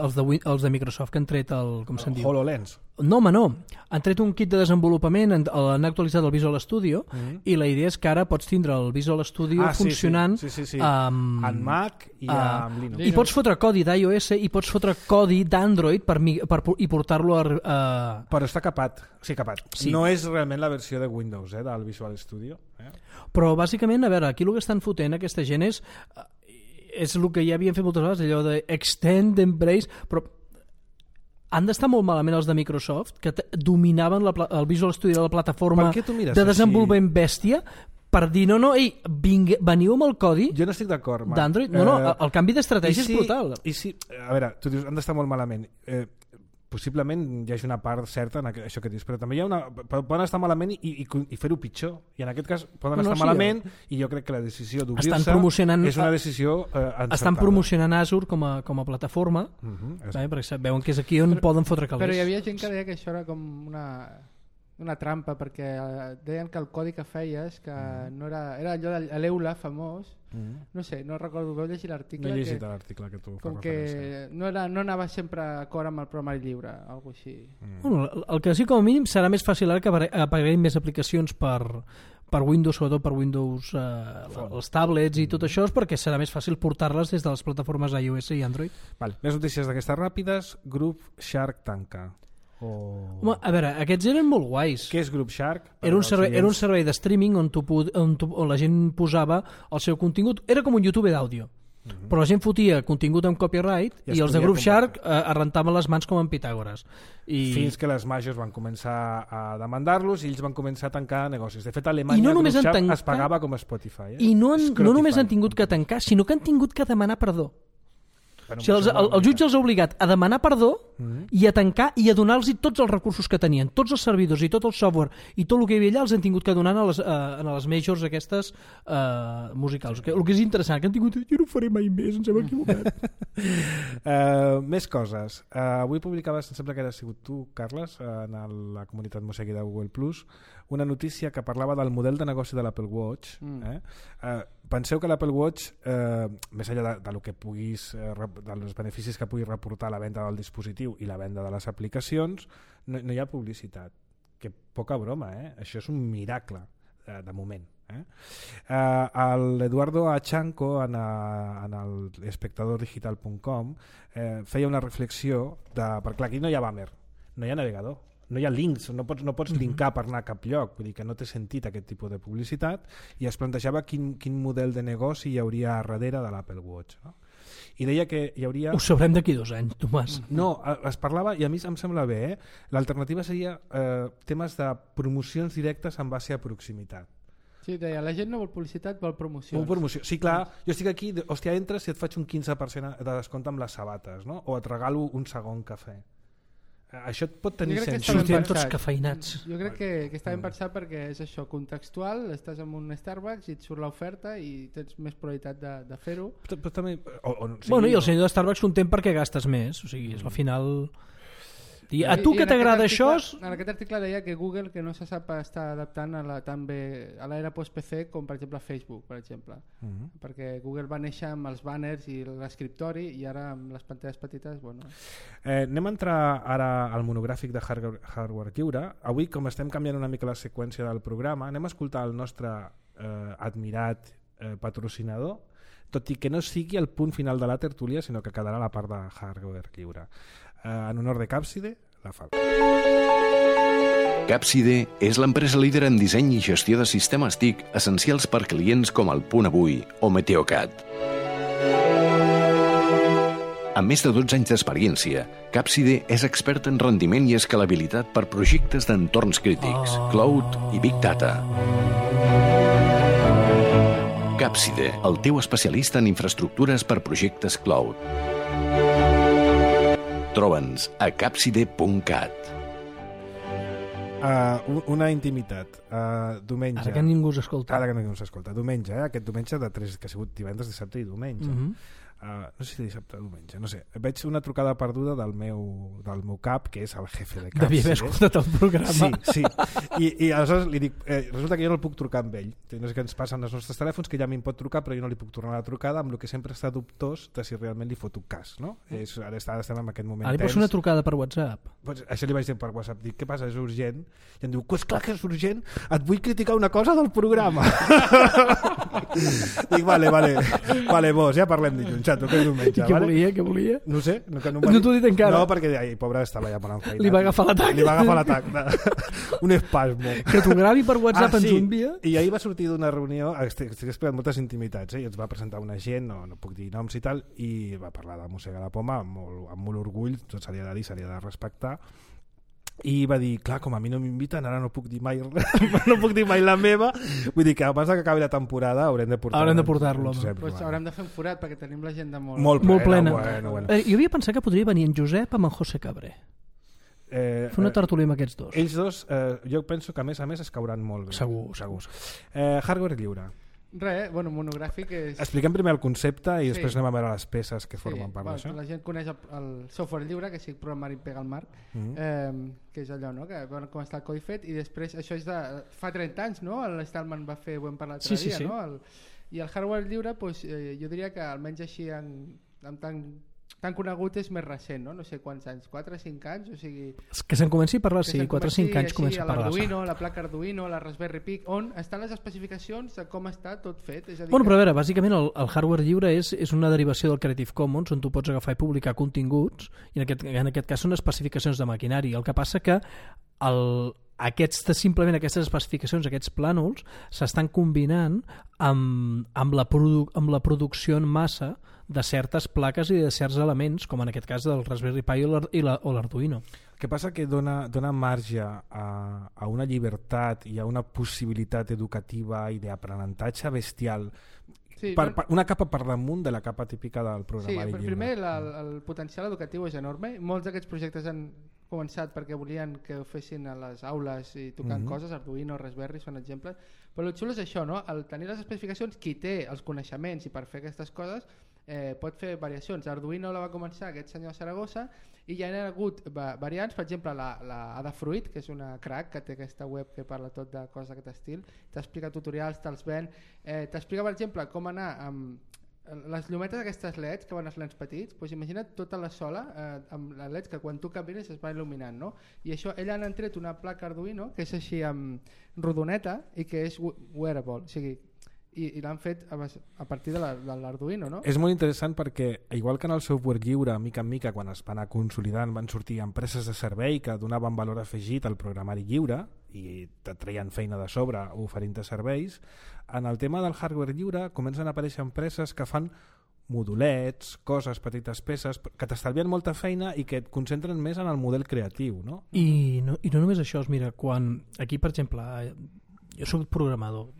de Microsoft que han tret el... Com se'n diu? HoloLens. No, home, no. Han tret un kit de desenvolupament, han actualitzat el Visual Studio i la idea és que ara pots tindre el Visual Studio funcionant en Mac i amb Linux. I pots fotre codi d'iOS i pots fotre codi d'Android i portar-lo a... Però està capat. Sí, capat. Sí. No és realment la versió de Windows del Visual Studio. Però bàsicament, a veure, aquí el que estan fotent aquesta gent és el que ja havien fet moltes vegades, allò de extend, embrace, però han d'estar molt malament els de Microsoft, que dominaven el Visual Studio de la plataforma de desenvolupament bèstia, per dir, veniu amb el codi d'Android. El canvi d'estratègia és brutal. A veure, tu dius, han d'estar molt malament. Possiblement hi hagi una part certa en això que dius, però també hi ha poden estar malament i fer-ho pitjor, i en aquest cas poden estar malament i jo crec que la decisió d'obrir-se és una decisió encertada. Estan promocionant Azure com a plataforma, perquè veuen que és aquí on poden fotre calés. Però hi havia gent que deia que això era com una trampa, perquè deien que el codi que feies que no era allò de l'Eula famós, no sé, no recordo, vau llegir l'article? No he llegit l'article que tu fas referència. Que no anava sempre d'acord amb el programari lliure, alguna cosa així. Bueno, el que sí, com a mínim serà més fàcil ara que apareguin més aplicacions per Windows, sobretot per Windows, els tablets i tot això, és perquè serà més fàcil portar-les des de les plataformes iOS i Android. Més notícies d'aquestes ràpides. Grup Shark tanca. Home, a veure, aquests eren molt guais. Què és Group Shark? Era un servei de streaming on la gent posava el seu contingut. Era com un YouTube d'àudio, però la gent fotia contingut amb copyright i els de Group Shark es rentaven les mans com en Pitàgores. Fins que les majors van començar a demandar-los i ells van començar a tancar negocis. De fet, a Alemanya Group Shark es pagava com a Spotify. I no només han tingut que tancar, sinó que han tingut que demanar perdó. O sigui, el jutge els ha obligat a demanar perdó i a tancar i a donar-los tots els recursos que tenien, tots els servidors i tot el software i tot el que hi havia allà els han tingut que donar a les majors aquestes musicals. El que és interessant, que han tingut... Jo no ho faré mai més, ens hem equivocat. Més coses. Avui publicaves, em sembla que era sigut tu, Carles, en la comunitat Mossegui de Google+, una notícia que parlava del model de negoci de l'Apple Watch. Penseu que l'Apple Watch, més enllà del que puguis, dels beneficis que pugui reportar la venda del dispositiu i la venda de les aplicacions, no hi ha publicitat. Que poca broma, això és un miracle, de moment. L'Eduardo Achanco en l'espectadordigital.com feia una reflexió perquè aquí no hi ha banner, no hi ha navegador, no hi ha links, no pots linkar per anar a cap lloc, vull dir que no té sentit aquest tipus de publicitat, i es plantejava quin model de negoci hi hauria darrere de l'Apple Watch, no? I deia que hi hauria... Ho sabrem d'aquí 2 anys, Tomàs. No, es parlava, i a mi em sembla bé, l'alternativa seria temes de promocions directes en base a proximitat. Sí, deia, la gent no vol publicitat, vol promocions. Promoció. Sí, clar, jo estic aquí, hòstia, entres i et faig un 15% de descompte amb les sabates, no? O et regalo un segon cafè. Això et pot tenir sentit. Sortirem tots cafeïnats. Jo crec que està ben pensat perquè és això, contextual, estàs en un Starbucks i et surt l'oferta i tens més probabilitat de fer-ho. Però també... Bueno, i el senyor de Starbucks content perquè gastes més, o sigui, al final... A tu que t'agrada això... En aquest article deia que Google que no se sap estar adaptant també a l'era post-PC com per exemple Facebook, per exemple. Perquè Google va néixer amb els banners i l'escriptori i ara amb les pantalles petites... Bueno. Anem a entrar ara al monogràfic de hardware lliure. Avui, com estem canviant una mica la seqüència del programa, anem a escoltar el nostre admirat patrocinador, tot i que no sigui el punt final de la tertúlia, sinó que quedarà la part de hardware lliure. en honor de Capside, la fa. Capside és l'empresa líder en disseny i gestió de sistemes TIC essencials per clients com el Punt Avui o Meteocat. Amb més de 12 anys d'experiència, Capside és expert en rendiment i escalabilitat per projectes d'entorns crítics, cloud i big data. Capside, el teu especialista en infraestructures per projectes cloud. Troba'ns a capside.cat. Una intimitat. Diumenge. Ara que ningú s'escolta. Ara que ningú s'escolta. Diumenge, aquest diumenge de 3, que ha sigut divendres, dissabte i diumenge. No sé si dissabte o diumenge, no sé. Veig una trucada perduda del meu cap, que és el jefe de Capside. Devia haver escoltat el programa. Sí. I aleshores li dic, resulta que jo no el puc trucar amb ell. No sé què ens passa en els nostres telèfons, que ja m'hi pot trucar, però jo no li puc tornar la trucada, amb el que sempre està dubtós de si realment li fot un cas, no? Ara estem en aquest moment Ara li pots una trucada per WhatsApp. Pues això li vaig dir per WhatsApp. Dic, què passa, és urgent? I em diu, pues clar que és urgent, et vull criticar una cosa del programa. Dic, vale, vos, ja parlem dilluns, xato, que és diumenge. Què volia? No sé. No t'ho he dit encara. No, perquè, pobre, estava ja parlant feina. Li va agafar l'atac. Un espasmo. Que t'ho gravi per WhatsApp ens ho envia. I ahir va sortir d'una reunió, estic explicant moltes intimitats, i ens va presentar una gent, no puc dir noms i tal, i va parlar de Mossega la Poma amb molt orgull, tot se li ha de dir, se li ha de respectar, i va dir, clar, com a mi no m'inviten, ara no puc dir mai la meva, vull dir que abans que acabi la temporada haurem de portar-lo. Pues haurem de fer un forat perquè tenim l'agenda molt plena. Bueno. Jo havia pensat que podria venir en Josep amb en José Cabré. Fer una tertúlia amb aquests dos. Ells dos, jo penso que a més es cauran molt bé. Segur. Hardware lliure. Monogràfic és... Expliquem primer el concepte i després anem a veure les peces que formen part d'això. La gent coneix el software lliure, que sigui programari pega al marc, que és allò, no? Que com està el codi fet, i després això és de fa 30 anys, no? L'Stallman va fer, ho hem parlat l'altre dia, no? I el hardware lliure, jo diria que almenys així tan conegut és més recent, no? No sé quants anys, 4 o 5 anys, o sigui... Que se'n comenci a parlar, sí, 4 o 5 anys comença a parlar. L'Arduino, la placa Arduino, la Raspberry Pi, on estan les especificacions de com està tot fet. És a dir però a veure, bàsicament el hardware lliure és una derivació del Creative Commons, on tu pots agafar i publicar continguts, i en aquest cas són especificacions de maquinari. El que passa que simplement aquestes especificacions, aquests plànols, s'estan combinant amb la producció en massa de certes plaques i de certs elements, com en aquest cas del Raspberry Pi o l'Arduino. El que passa que dona marge a una llibertat i a una possibilitat educativa i d'aprenentatge bestial, una capa per damunt de la capa típica del programari lliure. Primer el potencial educatiu és enorme. Molts d'aquests projectes han començat perquè volien que ho fessin a les aules i tocant coses, Arduino, Raspberry són exemples, però el xulo és això, no? El tenir les especificacions, qui té els coneixements i per fer aquestes coses pot fer variacions. Arduino la va començar aquest senyor Saragossa i ja hi ha hagut variants, per exemple la Adafruit, que és una crack que té aquesta web que parla tot de coses d'aquest estil, t'explica tutorials, te'ls ven, t'explica per exemple com anar amb les llumetes aquestes LEDs que van als lents petits, doncs imagina't tota la sola amb les LEDs que quan tu camines es va il·luminant, no? I això, ella han tret una placa Arduino que és així amb rodoneta i que és wearable, o sigui, i l'han fet a partir de l'Arduino, no? És molt interessant perquè, igual que en el software lliure, mica en mica, quan es va anar consolidant, van sortir empreses de servei que donaven valor afegit al programari lliure i te treien feina de sobre oferint-te serveis. En el tema del hardware lliure comencen a aparèixer empreses que fan modulets, coses, petites peces, que t'estalvien molta feina i que et concentren més en el model creatiu, no? I no només això, mira, quan aquí, per exemple, jo soc programador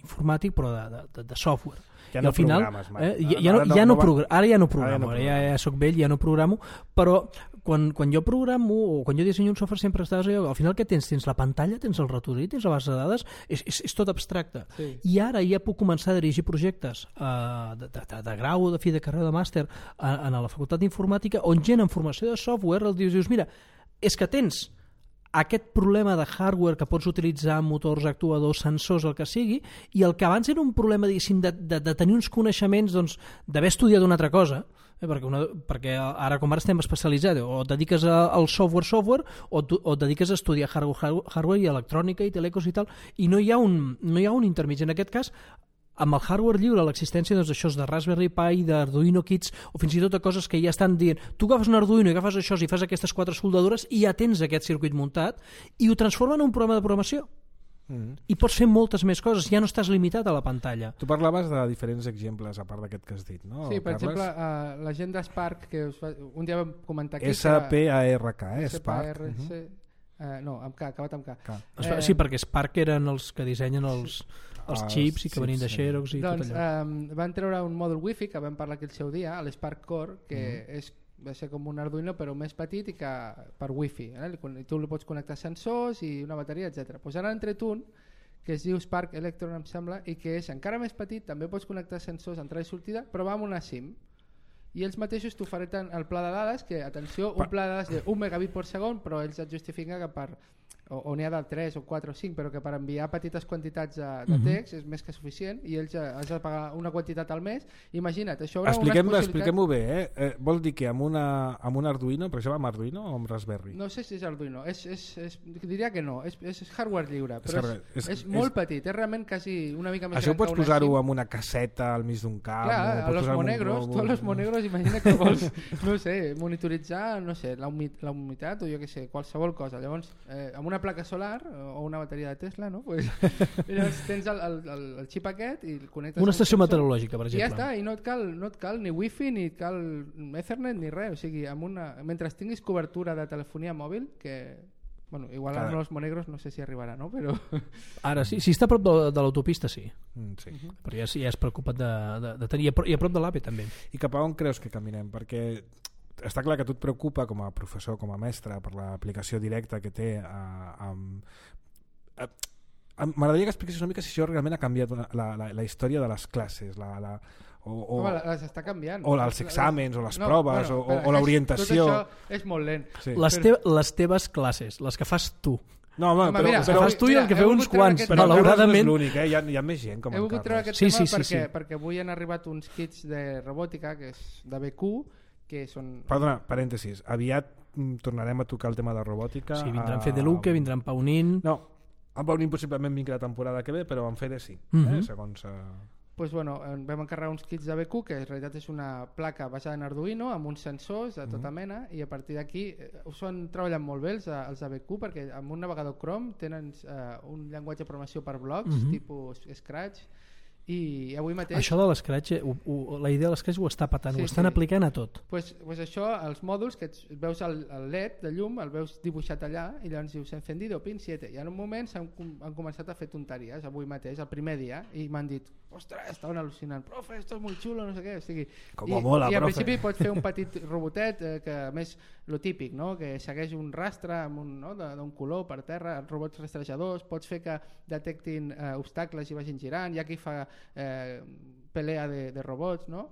informàtic, però de software. Ja no programes mai. Ara ja no programo, ja soc vell, ja no programo, però quan jo programo o quan jo dissenyo un software sempre estàs allò, al final què tens? Tens la pantalla, tens el ratolí, tens la base de dades, és tot abstracte. Sí. I ara ja puc començar a dirigir projectes de grau, de fi de carrera, de màster a la facultat d'informàtica, on gent en formació de software els dius, mira, és que tens aquest problema de hardware que pots utilitzar motors, actuadors, sensors, el que sigui, i el que abans era un problema, diguéssim, de tenir uns coneixements, doncs, d'haver estudiat una altra cosa, perquè ara com ara estem especialitzats, o et dediques al software o et dediques a estudiar hardware i electrònica i telecos i tal, i no hi ha un intermig. En aquest cas, amb el hardware lliure, l'existència d'això de Raspberry Pi, d'Arduino Kids, o fins i tot de coses que ja estan dient, tu agafes un Arduino i agafes això i fas aquestes 4 soldadures i ja tens aquest circuit muntat i ho transforma en un programa de programació. I pots fer moltes més coses, ja no estàs limitat a la pantalla. Tu parlaves de diferents exemples a part d'aquest que has dit, no? Sí, per exemple, la gent d'Spark, que un dia vam comentar aquí... S-P-A-R-K, Spark. No, amb K, acabat amb K. Sí, perquè Spark eren els que dissenyen els xips i que venien de Xerox i tot allò. Van treure un mòdul Wi-Fi, que vam parlar aquí el seu dia, l'Spark Core, que va ser com un Arduino però més petit i que per Wi-Fi, tu li pots connectar sensors i una bateria, etc. Pues ara han tret un que es diu Spark Electron, em sembla, i que és encara més petit, també pots connectar sensors entrada i sortida, però va amb una SIM. I ells mateixos t'ofereixen el pla de dades, que, atenció, un pla de dades de 1 megabit per segon, però ells et justifiquen que per o n'hi ha de 3 o 4 o 5, però que per enviar petites quantitats de text és més que suficient i ells has de pagar una quantitat al mes. Imagina't, això haurà Expliquem-ho bé, Vol dir que amb un Arduino, per exemple, amb Arduino o amb Raspberry? No sé si és Arduino, diria que no, és hardware lliure, però és molt petit, és realment quasi una mica més això gran que una SIM. Això pots posar-ho amb una casseta al mig d'un camp? Clar, a los monegros, imagina que vols, no sé, monitoritzar, no sé, la humitat o jo què sé, qualsevol cosa. Llavors, amb una placa solar o una bateria de Tesla, no? Pues, llavors tens el xip aquest i el connectes... Una estació meteorològica, per exemple. I ja està, i no et cal ni Wi-Fi, ni et cal Ethernet, ni res. O sigui, mentre tinguis cobertura de telefonia mòbil, que... Bueno, igual a los monegros no sé si arribarà, no? Però... Ara sí, si està a prop de l'autopista sí. Sí. Però ja és preocupat de tenir, i a prop de l'APE també. I cap a on creus que caminem? Perquè està clar que a tu et preocupa com a professor, com a mestre, per l'aplicació directa que té m'agradaria que expliquessis una mica si això realment ha canviat la història de les classes, les està canviant. O els exàmens, o les proves, o l'orientació. Tot això és molt lent. Sí. Les teves classes, les que fas tu. No, home, però fas tu i el que feu uns quants, malauradament. No és l'únic, hi ha més gent com he en volgut treure aquest tema perquè avui han arribat uns kits de robòtica, que és de BQ, que són... Perdona, parèntesis, aviat tornarem a tocar el tema de robòtica. Sí, vindran Fede Luque, vindran Paunin... No, en Paunin possiblement vingui la temporada que ve, però en Fede sí, segons... Pues bueno, vam encarregar uns kits de BQ, que en realitat és una placa basada en Arduino, amb uns sensors de tota mena, i a partir d'aquí han treballat molt bé els de BQ, perquè amb un navegador Chrome tenen un llenguatge de programació per blocs, tipus Scratch, i avui mateix... Això de l'Scratch, la idea de l'Scratch ho està patant, ho estan aplicant a tot. Pues això, els mòduls, que veus el LED de llum, el veus dibuixat allà, i llavors dius encendido, pin 7, i en un moment han començat a fer tonteries, avui mateix, el primer dia, i m'han dit, ostres, estaven al·lucinant, profe, esto és molt xulo, no sé què, o sigui... I al principi pots fer un petit robotet, que a més, lo típic, no? Que segueix un rastre d'un color per terra, robots rastrejadors, pots fer que detectin obstacles i vagin girant, hi ha qui fa pelea de robots, no?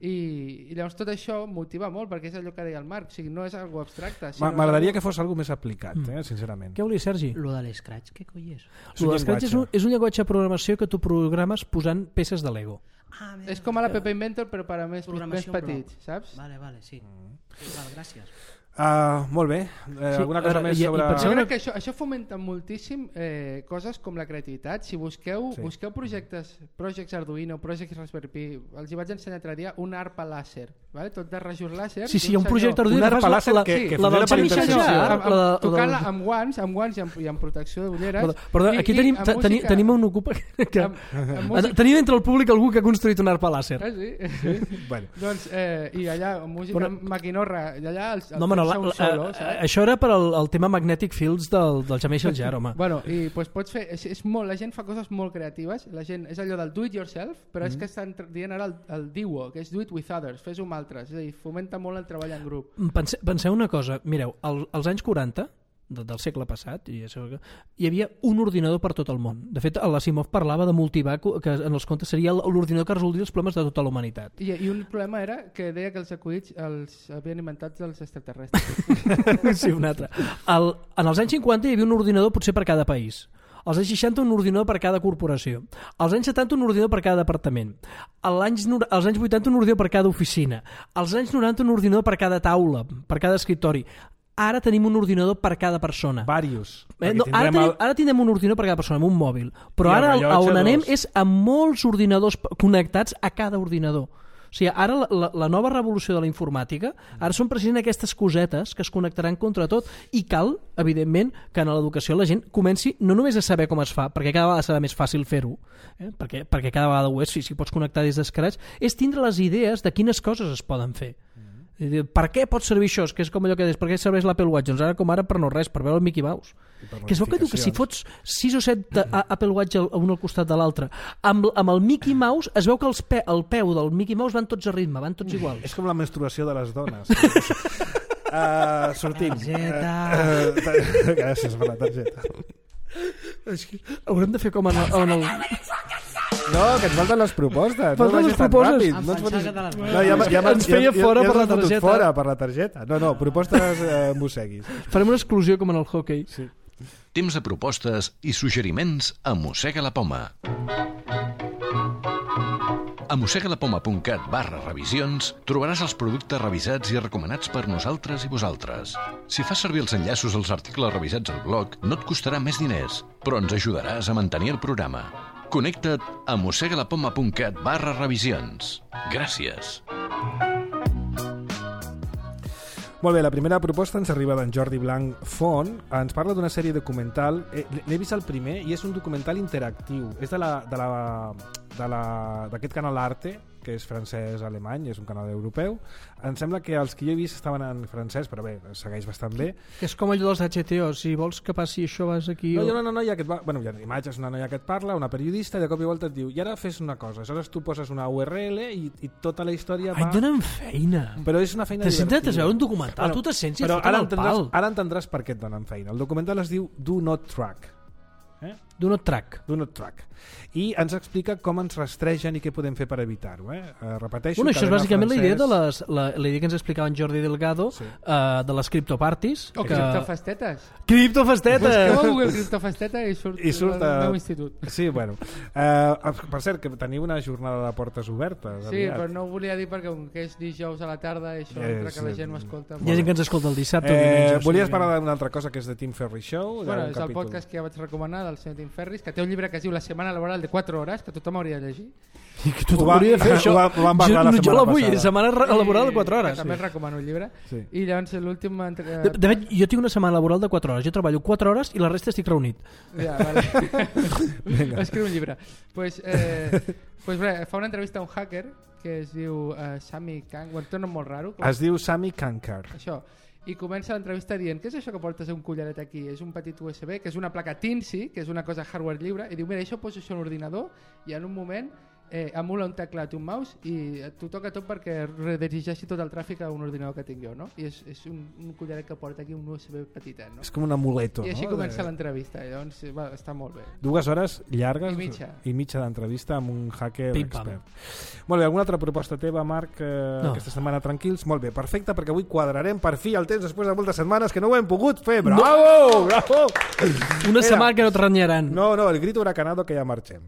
I llavors tot això motiva molt, perquè és allò que deia el Marc, o sigui, no és algo abstracte. M'agradaria que fos algo més aplicat, sincerament. Què volies, Sergi? Lo de l'Scratch, què coi és? Lo de l'Scratch és un llenguatge de programació que tu programes posant peces de Lego. És com a la Pepe Inventor, però per a més petits, saps? Vale, sí. Gràcies. Molt bé, alguna cosa més sobre... Jo crec que això fomenta moltíssim coses com la creativitat. Si busqueu projectes Arduino, projectes Raspberry Pi, els hi vaig ensenyar l'altre dia un arpa làser, tot de rajos làser. Sí, hi ha un projecte Arduino un arpa làser que funciona per intenció. Tocant-la amb guants i amb protecció d'ulleres. Perdó, aquí tenim un ocupa... Tenim entre el públic algú que ha construït un arpa làser. Sí. Doncs, i allà, música maquinorra, i allà això era per al tema Magnetic Fields del Jameix el Jar, home. Bueno, i pues pots fer, la gent fa coses molt creatives, la gent és allò del do it yourself, però és que estan dient ara el DIWO, que és do it with others, fes-ho amb altres, és a dir, fomenta molt el treball en grup. Penseu una cosa, mireu, als anys 40 del segle passat hi havia un ordinador per tot el món. De fet, l'Asimov parlava de multivar, que en els contes seria l'ordinador que resoldria els problemes de tota la humanitat. I un problema era que deia que els acudits els havien inventat els extraterrestres. Sí, un altre. En els anys 50 hi havia un ordinador potser per cada país. Als anys 60 un ordinador per cada corporació. Als anys 70 un ordinador per cada departament. Als anys 80 un ordinador per cada oficina. Als anys 90 un ordinador per cada taula, per cada escriptori. ara tenim un ordinador per cada persona. Varios. No, ara tindrem un ordinador per cada persona, amb un mòbil. Però ara on anem és amb molts ordinadors connectats a cada ordinador. O sigui, ara la nova revolució de la informàtica, ara són precisament aquestes cosetes que es connectaran contra tot, i cal, evidentment, que en l'educació la gent comenci no només a saber com es fa, perquè cada vegada serà més fàcil fer-ho, perquè cada vegada ho és, si pots connectar des d'escratx, és tindre les idees de quines coses es poden fer. Per què pot servir això? Que és com allò que deies, per què serveix l'Apple Watch? Doncs ara com ara per no res, per veure el Mickey Mouse. Que es veu que diu que si fots 6 o 7 Apple Watch un al costat de l'altre, amb el Mickey Mouse es veu que el peu del Mickey Mouse van tots a ritme, van tots iguals. És com la menstruació de les dones. Sortim. Targeta. Gràcies per la targeta. Haurem de fer com en el... No, que ens falten les propostes. Falten les propostes. Ens feia fora per la targeta. Fora per la targeta. No, propostes mosseguis. Farem una exclusió com en el hockey. Sí. Temps de propostes i suggeriments a Mossega la Poma. A mossegalapoma.cat/revisions trobaràs els productes revisats i recomanats per nosaltres i vosaltres. Si fas servir els enllaços als articles revisats al blog, no et costarà més diners, però ens ajudaràs a mantenir el programa. Connecta't a mossegalapoma.cat/revisions. Gràcies. Molt bé, la primera proposta ens arriba d'en Jordi Blanc Font. Ens parla d'una sèrie documental. N'he vist el primer i és un documental interactiu. És d'aquest canal Arte, que és francès-alemany, és un canal europeu. Em sembla que els que jo he vist estaven en francès, però bé, segueix bastant bé. Que és com allò dels HTO, si vols que passi això vas aquí... No, hi ha una noia que et va... Bueno, hi ha imatges, una noia que et parla, una periodista, i de cop i volta et diu, i ara fes una cosa, aleshores tu poses una URL i tota la història va... Ai, donen feina! Però és una feina divertida. T'has veure un documental, tu te sents i et foten el pal. Ara entendràs per què et donen feina. El documental es diu Do Not Track. Do Not Track. Do Not Track. I ens explica com ens rastregen i què podem fer per evitar-ho. Repeteixo... Bueno, això és bàsicament la idea que ens explicava en Jordi Delgado de les criptoparties. O criptofestetes. Criptofestetes! Busqueu a Google criptofesteta i surt el meu institut. Sí, bueno. Per cert, que teniu una jornada de portes obertes. Sí, però no ho volia dir perquè com que és dijous a la tarda això entra que la gent m'escolta. Hi ha gent que ens escolta el dissabte o diumenge. Volies parlar d'una altra cosa que és de Tim Ferriss Show? Bueno, és el podcast que ja vaig recomanar del senyor Tim Ferriss, que té un llibre que es diu La setmana laboral de 4 hores, que tothom hauria de llegir. I que tothom hauria de fer això. Jo la vull, setmana laboral de 4 hores. També recomano el llibre. I llavors l'últim... De fet, jo tinc una setmana laboral de 4 hores. Jo treballo 4 hores i la resta estic reunit. Ja, vale. Escriu un llibre. Pues fa una entrevista a un hacker que es diu Sami Kankar. Té un nom molt raro. Es diu Sami Kankar. Això. I comença l'entrevista dient, què és això que portes un collaret aquí? És un petit USB, que és una placa Tinsy, que és una cosa hardware lliure, i diu, mira, això poso això a un ordinador i en un moment emula un teclat i un mouse i t'ho toca tot perquè redirigeixi tot el tràfic a un ordinador que tinc jo, no? I és un collaret que porta aquí un USB petitet, no? És com un amuleto, I així no? comença l'entrevista, i llavors està molt bé. 2 hores llargues i mitja d'entrevista amb un hacker expert. Molt bé, alguna altra proposta teva, Marc, aquesta setmana tranquils? Molt bé, perfecte, perquè avui quadrarem per fi el temps després de moltes setmanes que no ho hem pogut fer. Bravo! Bravo! Una setmana que no et renyaran. No, el grito huracanado que ja marxem.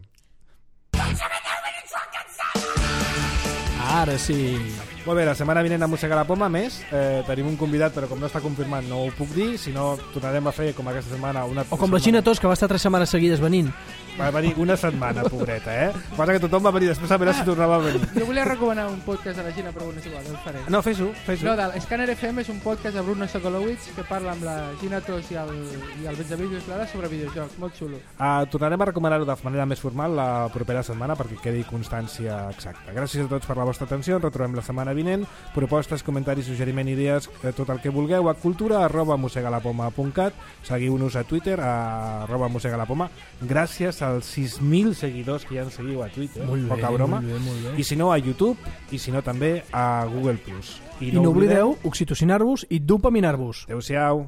Ara sí. Molt bé, la setmana vinent a Mossega la Poma, més tenim un convidat, però com no està confirmat no ho puc dir, si no tornarem a fer com aquesta setmana una... O com la Gina Tos, que va estar 3 setmanes seguides venint. Va venir una setmana, pobreta, Passa que tothom va venir, després a veure si tornava a venir. Jo volia recomanar un podcast de la Gina, però és igual, no el faré. No, fes-ho. No, Scanner FM és un podcast de Bruno Sokolowitz que parla amb la Gina Tos i el Benjamí Lluís Lara sobre videojocs, molt xulo. Tornarem a recomanar-ho de manera més formal la propera setmana perquè quedi constància exacta. Gràcies a tots per la vostra atenció, ens retrobem la setmana vinent. Propostes, comentaris, suggeriment, idees, tot el que vulgueu a cultura@mossegalapoma.cat. Seguiu-nos a Twitter @mossegalapoma. Gràcies als 6.000 seguidors que ja ens seguiu a Twitter. Poca broma. Molt bé. I si no a YouTube, i si no també a Google+. I no oblideu oxitocinar-vos i dopaminar-vos. Adéu-siau.